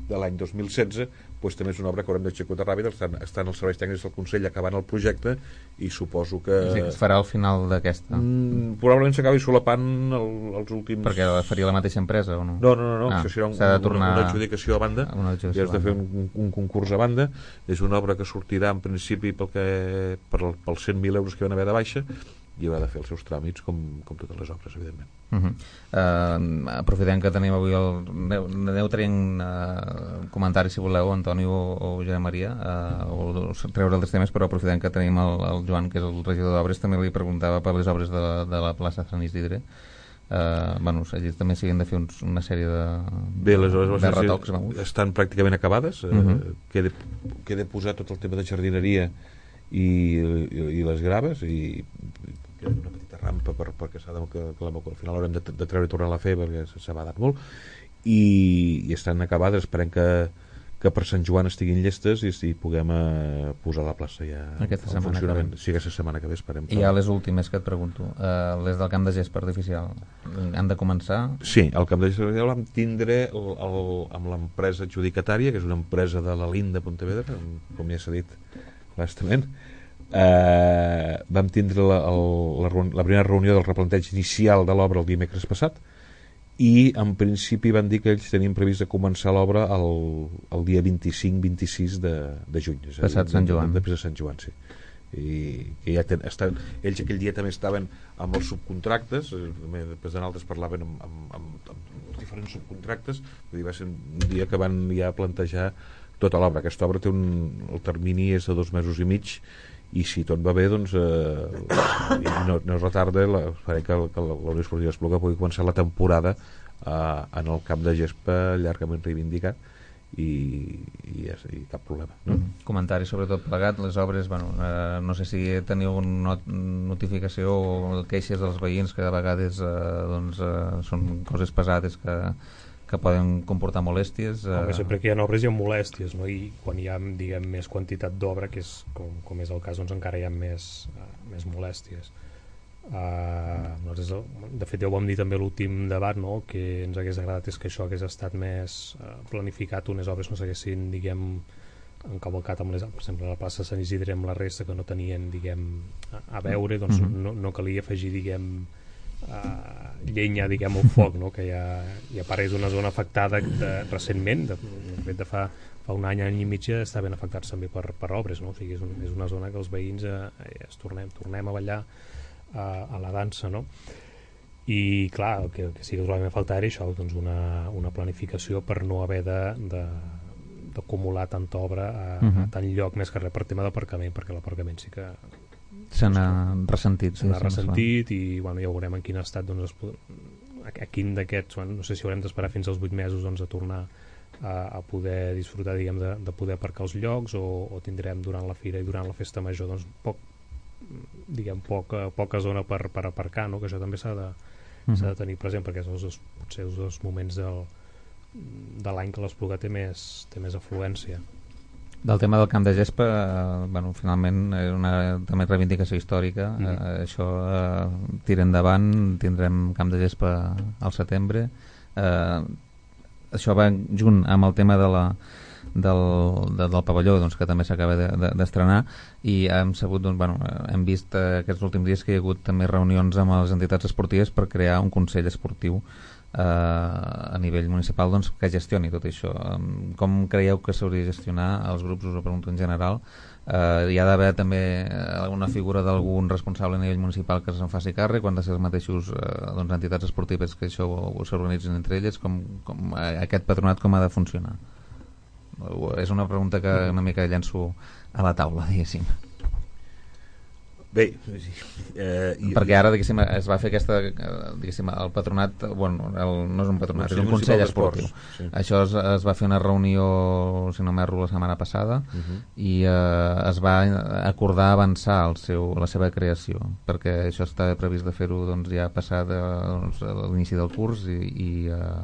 de l'any dos mil setze, doncs també és una obra que haurem d'executar ràpida. Estan, estan els serveis tècnics del Consell acabant el projecte i suposo que... Sí, es farà al final d'aquesta. Mm, probablement s'acabi solapant el, els últims... Perquè la faria la mateixa empresa o no? No, no, no, no. Ah, això serà un, de tornar... una, una adjudicació a banda, una adjudicació i has de fer un, un concurs a banda. És una obra que sortirà en principi pel que, per, pels cent mil euros que van haver de baixa, i haurà de fer els seus tràmits com, com totes les obres, evidentment. Uh-huh. uh, aprofitem que tenim avui el... Aneu, aneu traient uh, comentaris, si voleu, Antoni o, o Josep Maria, uh, o, o treure altres temes, però aprofitem que tenim el, el Joan, que és el regidor d'obres. També li preguntava per les obres de, de la plaça Sant Isidre. Uh, bueno, allí també s'han de fer uns, una sèrie de, Bé, les obres de retocs. Estan pràcticament acabades. Uh-huh. uh, queda, queda posar tot el tema de jardineria i, i, i les graves, i queda una petita rampa per, perquè s'ha de, que, que la, al final haurem de, de treure i tornar a fer perquè s'ha badat molt, i, i estan acabades. Esperem que, que per Sant Joan estiguin llestes i, i puguem uh, posar la plaça ja aquesta setmana que ve. Sí, aquesta setmana que ve esperem. I ja les últimes que et pregunto, uh, les del camp de gespa artificial han de començar? Sí, el camp de gespa artificial vam tindre el, el, amb l'empresa adjudicatària, que és una empresa de la Linda Pontevedra, com ja s'ha dit bastament. Eh, vam tindre la, el, la, la primera reunió del replanteig inicial de l'obra el dimecres passat, i en principi van dir que ells tenien previst de començar l'obra el, el dia vint-i-cinc vint-i-sis de, de juny, passat Sant Joan, després de Sant Joan, sí. I que ja ten, estan, ells aquell dia també estaven amb els subcontractes, després de nosaltres parlaven amb, amb, amb, amb diferents subcontractes. Vull dir, va ser un dia que van ja plantejar tota l'obra. Aquesta obra té un... el termini és de dos mesos i mig, i si tot va bé, doncs eh, no, no es retarda, la, faré que, que la Unió Esportiva Espluga pugui començar la temporada eh, en el camp de gespa llargament reivindicat, i, i, i cap problema, no? Mm. Comentari sobre tot plegat, les obres, bueno, eh, no sé si teniu una not notificació o queixes dels veïns, que a vegades eh, doncs, eh, són coses pesades que, que poden comportar molèsties. Eh... Home, sempre que hi ha obres hi ha molèsties, no? I quan hi ha, diguem, més quantitat d'obra, que és com, com és el cas, doncs encara hi ha més, uh, més molèsties. Uh, de fet, ja ho vam dir també a l'últim debat, no? Que ens hagués agradat és que això hagués estat més uh, planificat, unes obres no s'haguessin, diguem, encavalcat amb les, per exemple, a la plaça Sant Isidre amb la resta que no tenien, diguem, a, a veure, doncs mm-hmm. no, no calia afegir, diguem, uh, llenya, diguem, al foc, no? Que ja, ja a part és una zona afectada de, recentment, de, de fet de fa, fa un any, any i mig estaven afectats també per, per obres, no? O sigui, és, un, és una zona que els veïns eh, es tornem, tornem a ballar a, a la dansa, no? I clar, el que, el que sí que trobem a faltar era això, doncs una, una planificació per no haver de, de, d'acumular tanta obra a, uh-huh. a tant lloc, més que res per tema d'aparcament, perquè l'aparcament sí que se n'ha ressentit, se n'ha sí, ressentit i bueno, ja veurem en quin estat doncs, a, a quin d'aquests, bueno, no sé si haurem d'esperar fins als vuit mesos doncs, a tornar a, a poder disfrutar, diguem, de, de poder aparcar els llocs, o, o tindrem durant la fira i durant la festa major doncs, poc, diguem, poca, poca zona per, per aparcar, no? Que això també s'ha de, uh-huh. s'ha de tenir present, perquè són els, potser els dos moments del, de l'any que l'Espluga té més, té més afluència. Del tema del camp de gespa, eh, bueno, finalment és una també reivindicació històrica, mm. eh, això eh, tira endavant, tindrem camp de gespa al setembre, eh, això va junt amb el tema de la del, de, del pavelló, doncs, que també s'acaba d'estrenar, de, de, i hem sabut, doncs, bueno, hem vist eh, aquests últims dies que hi ha hagut també reunions amb les entitats esportives per crear un consell esportiu eh, a nivell municipal, doncs, que gestioni tot això. Com creieu que s'hauria de gestionar? Els grups, us ho pregunto en general. Eh, hi ha d'haver també alguna figura d'algun responsable a nivell municipal que se'n faci càrrec, quan de ser els mateixos eh, doncs, entitats esportives que això s'organitzin entre elles, com, com aquest patronat com ha de funcionar? És una pregunta que una mica llenço a la taula, diguéssim. Bé, eh, i, perquè ara, diguéssim, es va fer aquesta, diguéssim, el patronat, bueno, el, no és un patronat, és un consell esportiu. Sí. Això es, es va fer una reunió, si no m'erro, la setmana passada, uh-huh. i eh, es va acordar avançar el seu, la seva creació, perquè això està previst de fer-ho doncs, ja passat doncs, a l'inici del curs, i, i eh,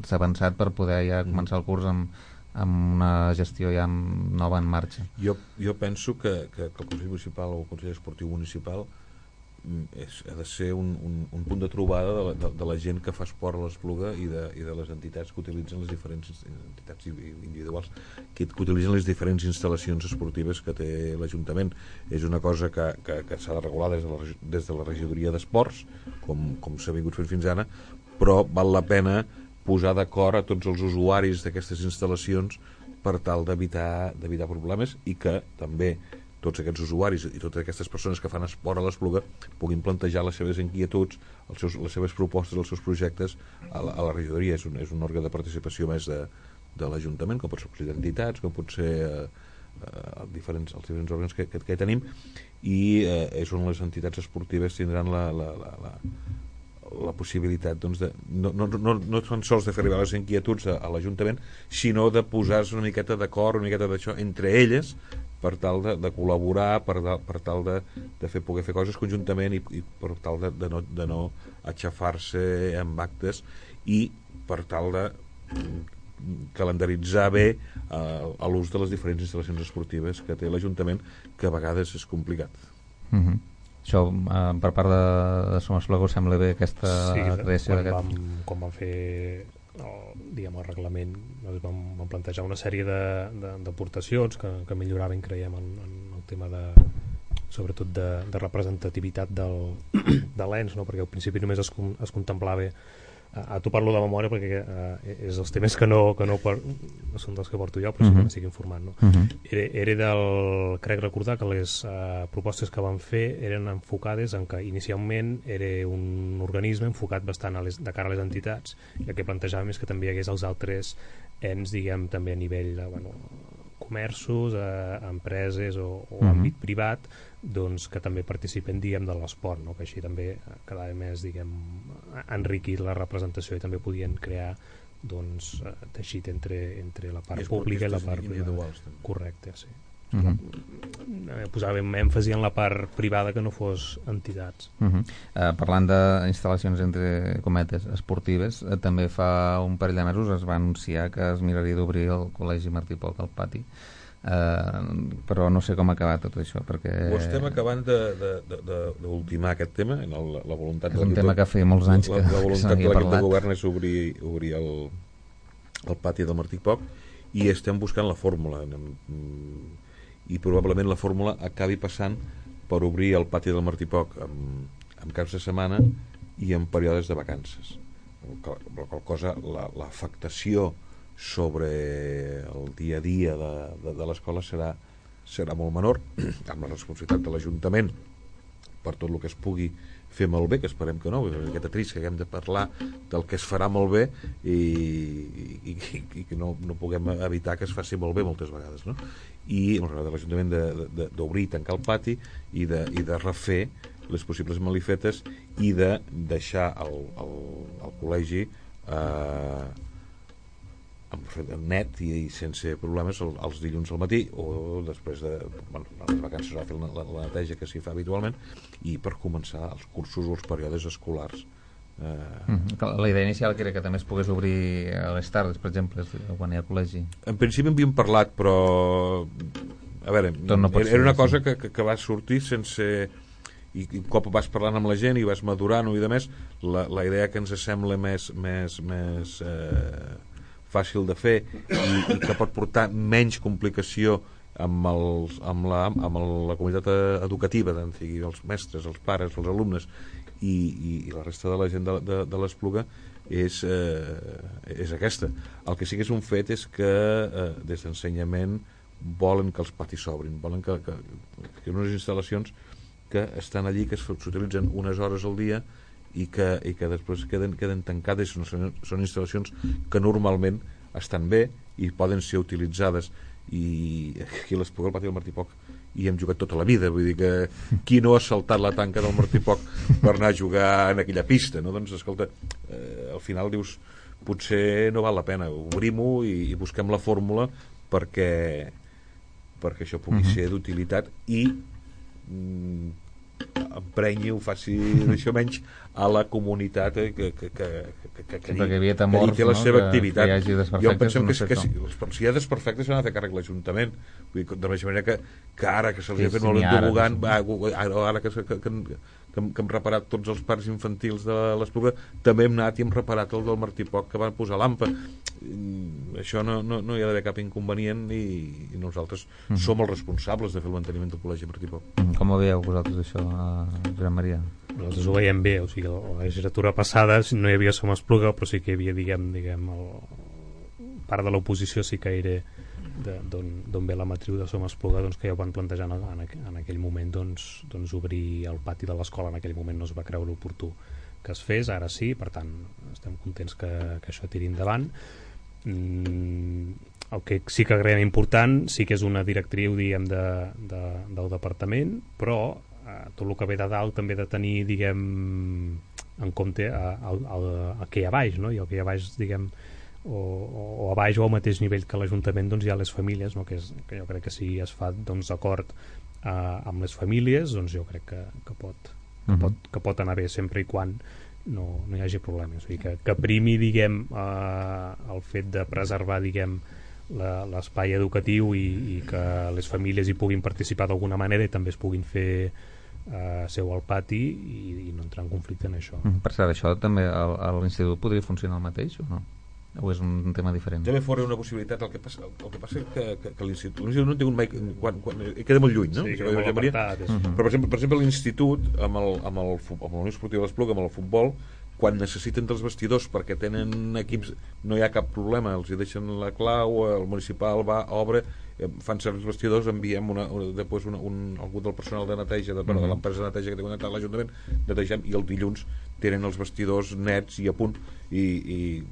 s'ha avançat per poder ja començar el curs amb amb una gestió ja nova en marxa. Jo, jo penso que, que, que el Consell Municipal o el Consell Esportiu Municipal és, ha de ser un, un, un punt de trobada de la, de, de la gent que fa esport a l'Espluga i, de, i de les entitats que utilitzen les diferents entitats individuals que, que utilitzen les diferents instal·lacions esportives que té l'Ajuntament. És una cosa que, que, que s'ha de regular des de la, des de la regidoria d'esports, com, com s'ha vingut fent fins ara, però val la pena posar d'acord a tots els usuaris d'aquestes instal·lacions per tal d'evitar d'evitar problemes, i que també tots aquests usuaris i totes aquestes persones que fan esport a l'Espluga puguin plantejar les seves inquietuds, els seus, les seves propostes, els seus projectes a la, a la regidoria. És un, és un òrgan de participació més de, de l'Ajuntament, com pot ser el d'entitats, com pot ser eh, eh, diferents, els diferents òrgans que, que, que tenim, i eh, és on les entitats esportives tindran la, la, la, la la possibilitat doncs, de, no, no, no, no tan sols de fer arribar les inquietuds a, a l'Ajuntament, sinó de posar-se una miqueta d'acord, una miqueta d'això entre elles, per tal de, de col·laborar, per, de, per tal de, de fer, poder fer coses conjuntament, i, i per tal de, de, no, de no aixafar-se amb actes, i per tal de calendaritzar bé eh, l'ús de les diferents instal·lacions esportives que té l'Ajuntament, que a vegades és complicat. Mhm. Això, eh, per part de, de Som Espluga, us sembla bé aquesta sí, creació d'aquest... Vam, quan vam fer el, diguem, el reglament, doncs vam, vam plantejar una sèrie d'aportacions que, que milloraven, creiem, en, en el tema de, sobretot de, de representativitat del, de l'ens, no? Perquè al principi només es, es contemplava a tu parlo de memòria perquè uh, és els temes que no, que no, per, no són dels que porto jo, però sí que uh-huh. m'estic informant, no? Uh-huh. era, era del, crec recordar que les uh, propostes que van fer eren enfocades en que inicialment era un organisme enfocat bastant a les, de cara a les entitats, i el que plantejàvem és que també hi hagués els altres ens, diguem, també a nivell de, bueno, comerços, eh, empreses o, o uh-huh. àmbit privat, doncs que també participen, diguem, de l'esport, no? Que així també quedava més, diguem, enriquit la representació i també podien crear, doncs, teixit entre, entre la part pública i la part privada. Correcte, sí. Uh-huh. Posàvem èmfasi en la part privada que no fos entitats. Uh-huh. uh, Parlant d'instal·lacions entre cometes esportives, uh, també fa un parell de mesos es va anunciar que es miraria d'obrir el Col·legi Martí Poch al pati. Uh, però no sé com acabar tot això perquè... Ho estem acabant d'ultimar aquest tema en el, la voluntat és un tema que feia molts anys la, que, la voluntat que de l'equip de govern és obrir, obrir el, el pati del Martí Poch i estem buscant la fórmula i probablement la fórmula acabi passant per obrir el pati del Martí Poch amb, amb caps de setmana i en períodes de vacances, la qual cosa l'afectació la, sobre el dia a dia de, de, de l'escola serà, serà molt menor, amb la responsabilitat de l'Ajuntament per tot el que es pugui fer malbé, que esperem que no, és una miqueta trist que haguem de parlar del que es farà malbé i, i, i, i que no, no puguem evitar que es faci malbé moltes vegades, no? I l'Ajuntament d'obrir i tancar el pati i de, i de refer les possibles malifetes i de deixar el, el, el col·legi eh, net i, i sense problemes el, els dilluns al matí o després de bueno, les vacances a fer la, la, la neteja que s'hi fa habitualment i per començar els cursos o els períodes escolars eh... mm-hmm. La idea inicial que era que també es pogués obrir a les tardes, per exemple, quan hi ha col·legi. En principi en havíem parlat, però a veure, no era una cosa que, que, que va sortir sense i, i un cop vas parlant amb la gent i vas madurant i de més, la, la idea que ens sembla més més, més eh, fàcil de fer i, i que pot portar menys complicació amb, els, amb, la, amb la comunitat educativa, tant sigui els mestres, els pares, els alumnes i, i, i la resta de la gent de, de, de l'Espluga és, eh, és aquesta. El que sí que és un fet és que eh, des d'ensenyament volen que els patis s'obrin, volen que, que, que unes instal·lacions que estan allí, que s'utilitzen unes hores al dia i que, i que després queden, queden tancades, són, són instal·lacions que normalment estan bé i poden ser utilitzades i aquí a l'Espluga, al pati del Martí Poch hi hem jugat tota la vida, vull dir que qui no ha saltat la tanca del Martí Poch per anar a jugar en aquella pista, no? Doncs escolta, eh, al final dius potser no val la pena, obrim-ho i, i busquem la fórmula perquè perquè això pugui uh-huh. ser d'utilitat i mm, emprenyi o faci això menys a la comunitat que, que, que, que, que, que, que, temors, que té la no? seva que, activitat. Que jo pensem no que, sé que, que si hi ha desperfectes s'han de fer càrrec l'Ajuntament. Vull dir, de la mateixa manera que, que ara que se'ls sí, ha fet molt entobogant, ara, ara que, que, que, que, que hem reparat tots els parcs infantils de l'Espluga, també hem anat i hem reparat el del Martí Poch que van posar l'Ampa. Això no, no, no hi ha d'haver cap inconvenient i, i nosaltres mm-hmm. som els responsables de fer el manteniment del Col·legi Martí Poch. Mm, com ho veieu vosaltres això, Joan Maria? Nosaltres ho veiem bé, o sigui, la legislatura passada no hi havia Som Espluga, però sí que hi havia, diguem, diguem el, part de l'oposició sí que era d'on ve la matriu de Som Espluga, doncs que ja ho van plantejar en, en, en aquell moment doncs, doncs obrir el pati de l'escola. En aquell moment no es va creure oportú que es fes, ara sí, per tant estem contents que, que això tiri endavant. Mm, el que sí que creiem important sí que és una directriu, diguem, de, de, del departament, però eh, tot el que ve de dalt també de tenir, diguem, en compte el que hi ha a baix, no? I el que hi ha a baix, diguem, o, o a baix o al mateix nivell que l'Ajuntament, doncs hi ha les famílies, no? que, és, que jo crec que si es fa doncs, acord eh, amb les famílies, doncs jo crec que, que, pot, que, uh-huh. pot, que pot anar bé sempre i quan no, no hi hagi problemes. O sigui, que, que primi, diguem, eh, el fet de preservar, diguem, l'espai educatiu i, i que les famílies hi puguin participar d'alguna manera i també es puguin fer eh, seu al pati i, i no entrar en conflicte en això. Mm, per cert, això també a l'institut podria funcionar el mateix o no? O és un tema diferent? També fora una possibilitat. El que passa, el que passa és que, que, que l'institut no té un mai, quan, quan, queda molt lluny, no? Sí, queda molt apartat. Uh-huh. Però per exemple, per exemple l'institut amb el, amb el, amb el Unió Esportiva de l'Espluga, amb el futbol, quan necessiten dels vestidors perquè tenen equips, no hi ha cap problema, els hi deixen la clau, el municipal va, obre, fan servir els vestidors, enviem una, una, després una, un, algú del personal de neteja de, mm -hmm. de l'empresa de neteja que té connectat a l'Ajuntament, netegem, i el dilluns tenen els vestidors nets i a punt, i, i,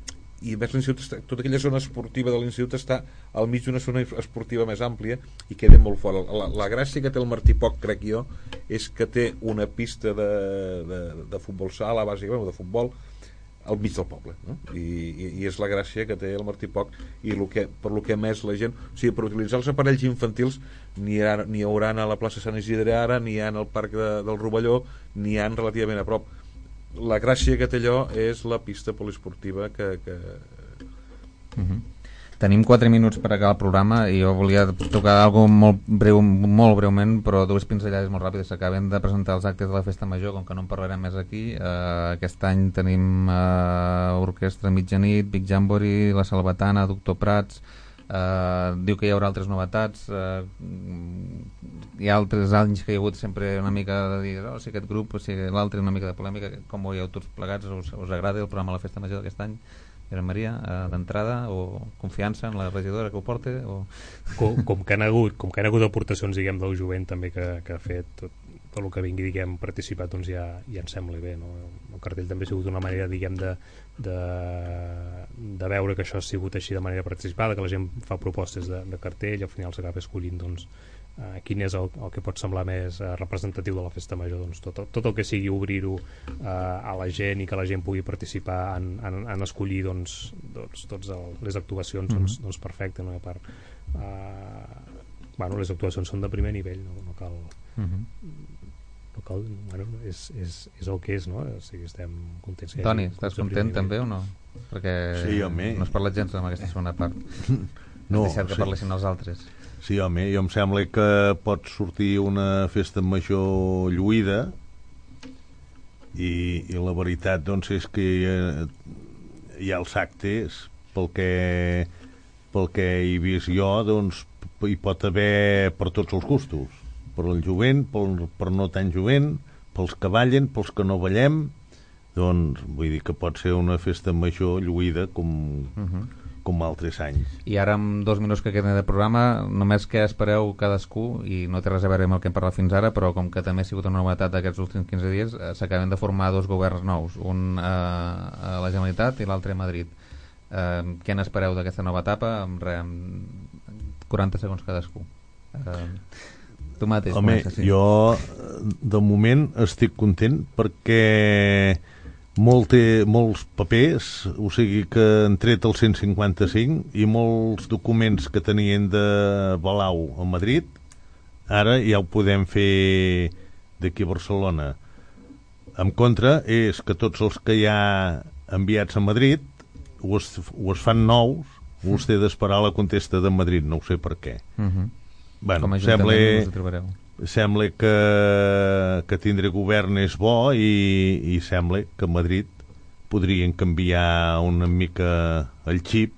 i més l'institut està, tota aquella zona esportiva de l'institut està al mig d'una zona esportiva més àmplia i queda molt fora. La, la gràcia que té el Martí Poch, crec jo, és que té una pista de, de, de futbol sala, bàsicament, o de futbol, al mig del poble, no? I, i, i és la gràcia que té el Martí Poch, i lo que, per lo que més la gent, o sigui, per utilitzar els aparells infantils n'hi ha, n'hi haurà a la plaça Sant Isidre ara, n'hi ha al parc de, del Rovelló, n'hi ha relativament a prop. La gràcia que té allò és la pista poliesportiva que... que... Uh-huh. Tenim quatre minuts per acabar el programa i jo volia tocar alguna cosa molt breu, molt breument, però dues pinzellades molt ràpides. S'acaben de presentar els actes de la Festa Major, com que no en parlarem més aquí. Uh, aquest any tenim uh, Orquestra Mitjanit, Big Jamboree, La Salvatana, Doctor Prats. Uh, diu que hi haurà altres novetats. Uh, hi ha altres anys que hi ha hagut sempre una mica de dir, oh, si aquest grup, o si l'altre, una mica de polèmica. Com ho veieu tots plegats? Us, us agrada el programa de la Festa Major d'aquest any? Josep Maria, uh, d'entrada, o confiança en la regidora que ho porta? O... Com, com, que han hagut, com que han hagut aportacions, diguem, del jovent també que, que ha fet tot, tot el que vingui, diguem, participat, doncs ja, ja em sembla bé, no? El cartell també ha sigut una manera, diguem, de, de, de veure que això ha sigut així de manera participada, que la gent fa propostes de, de cartell i al final s'acaba escollint, doncs, Uh, quin és el, el que pot semblar més uh, representatiu de la Festa Major. Doncs tot, tot el que sigui obrir-ho uh, a la gent i que la gent pugui participar en, en, en escollir doncs, doncs, tots el, les actuacions, mm-hmm. doncs, doncs perfecte, no? A part, uh, bueno, les actuacions són de primer nivell, no, no cal mm-hmm. no cal, bueno, és, és, és el que és, no? O sigui, estem contents. Toni, estàs content també o no? Perquè sí, home. No has parlat gens en aquesta segona part. No, has deixat que sí. parlessin els altres. Sí, home, jo em sembla que pot sortir una festa major lluïda i, i la veritat doncs és que hi ha, hi ha els actes pel que, pel que he vist jo, doncs hi pot haver per tots els gustos, per el jovent, per, per no tan jovent, pels que ballen, pels que no ballem, doncs vull dir que pot ser una festa major lluïda com... Uh-huh. com altres anys. I ara, amb dos minuts que queden de programa, només que espereu cadascú, i no té res a veure amb el que hem parlat fins ara, però com que també ha sigut una novetat d'aquests últims quinze dies, eh, s'acaben de formar dos governs nous, un eh, a la Generalitat i l'altre a Madrid. Eh, què n'espereu d'aquesta nova etapa? Amb, re, amb quaranta segons cadascú. Eh, tu mateix. Home, comença, sí. Jo de moment estic content perquè Molte, molts papers, o sigui que han tret el cent cinquanta-cinc i molts documents que tenien de Balau a Madrid, ara ja ho podem fer d'aquí a Barcelona. En contra és que tots els que hi ha enviats a Madrid o es, o es fan nous o es té d'esperar la contesta de Madrid, no ho sé per què. Uh-huh. Bueno, Com a sembla, no sembla que, que tindre govern és bo i, i sembla que a Madrid podrien canviar una mica el xip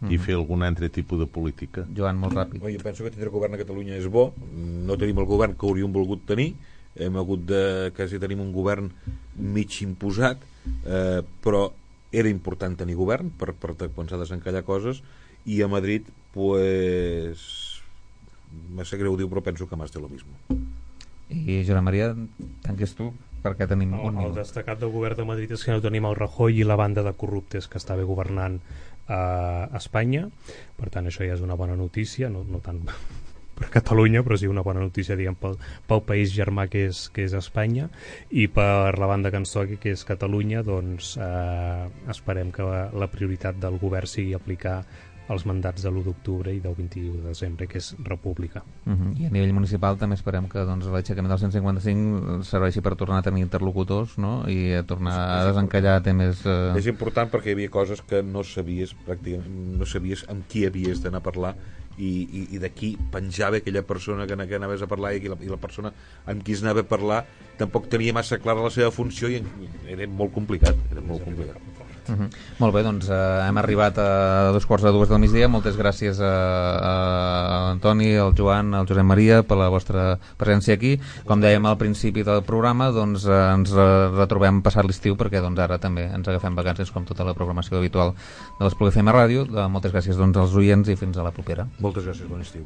mm. i fer algun altre tipus de política. Joan, molt ràpid. Jo penso que tindre govern a Catalunya és bo. No tenim el govern que hauríem volgut tenir. Hem hagut de... quasi tenim un govern mig imposat, eh, però era important tenir govern per, per quan s'ha de desencallar coses, i a Madrid pues... me sé greu dir, però penso que más de lo mismo. I Josep Maria, tanques tu, perquè tenim el, un minut. El destacat del govern de Madrid és que no tenim el Rajoy i la banda de corruptes que estava governant a Espanya, per tant això ja és una bona notícia, no, no tant per Catalunya, però sí una bona notícia, diguem, pel, pel país germà que és, que és Espanya, i per la banda que ens toqui, que és Catalunya, doncs eh, esperem que la, la prioritat del govern sigui aplicar els mandats de l'u d'octubre i del vint-i-u de desembre, que és república. Uh-huh. I a nivell municipal també esperem que doncs, l'aixecament del cent cinquanta-cinc serveixi per tornar a tenir interlocutors, no? I a tornar a desencallar temes... Uh... És important perquè hi havia coses que no sabies pràcticament, no sabies amb qui havies d'anar a parlar, i, i, i d'aquí penjava aquella persona que, que anaves a parlar, i la, i la persona amb qui es anava a parlar tampoc tenia massa clara la seva funció i era molt complicat, era molt complicat. Uh -huh. Molt bé, doncs eh, hem arribat a dos quarts de dues del migdia. Moltes gràcies a, a Antoni, al Joan, al Josep Maria per la vostra presència aquí. Com dèiem al principi del programa, doncs eh, ens retrobem passat l'estiu, perquè doncs ara també ens agafem vacances com tota la programació habitual de l'Espluga F M Ràdio. Moltes gràcies doncs als oients i fins a la propera. Moltes gràcies, bon estiu.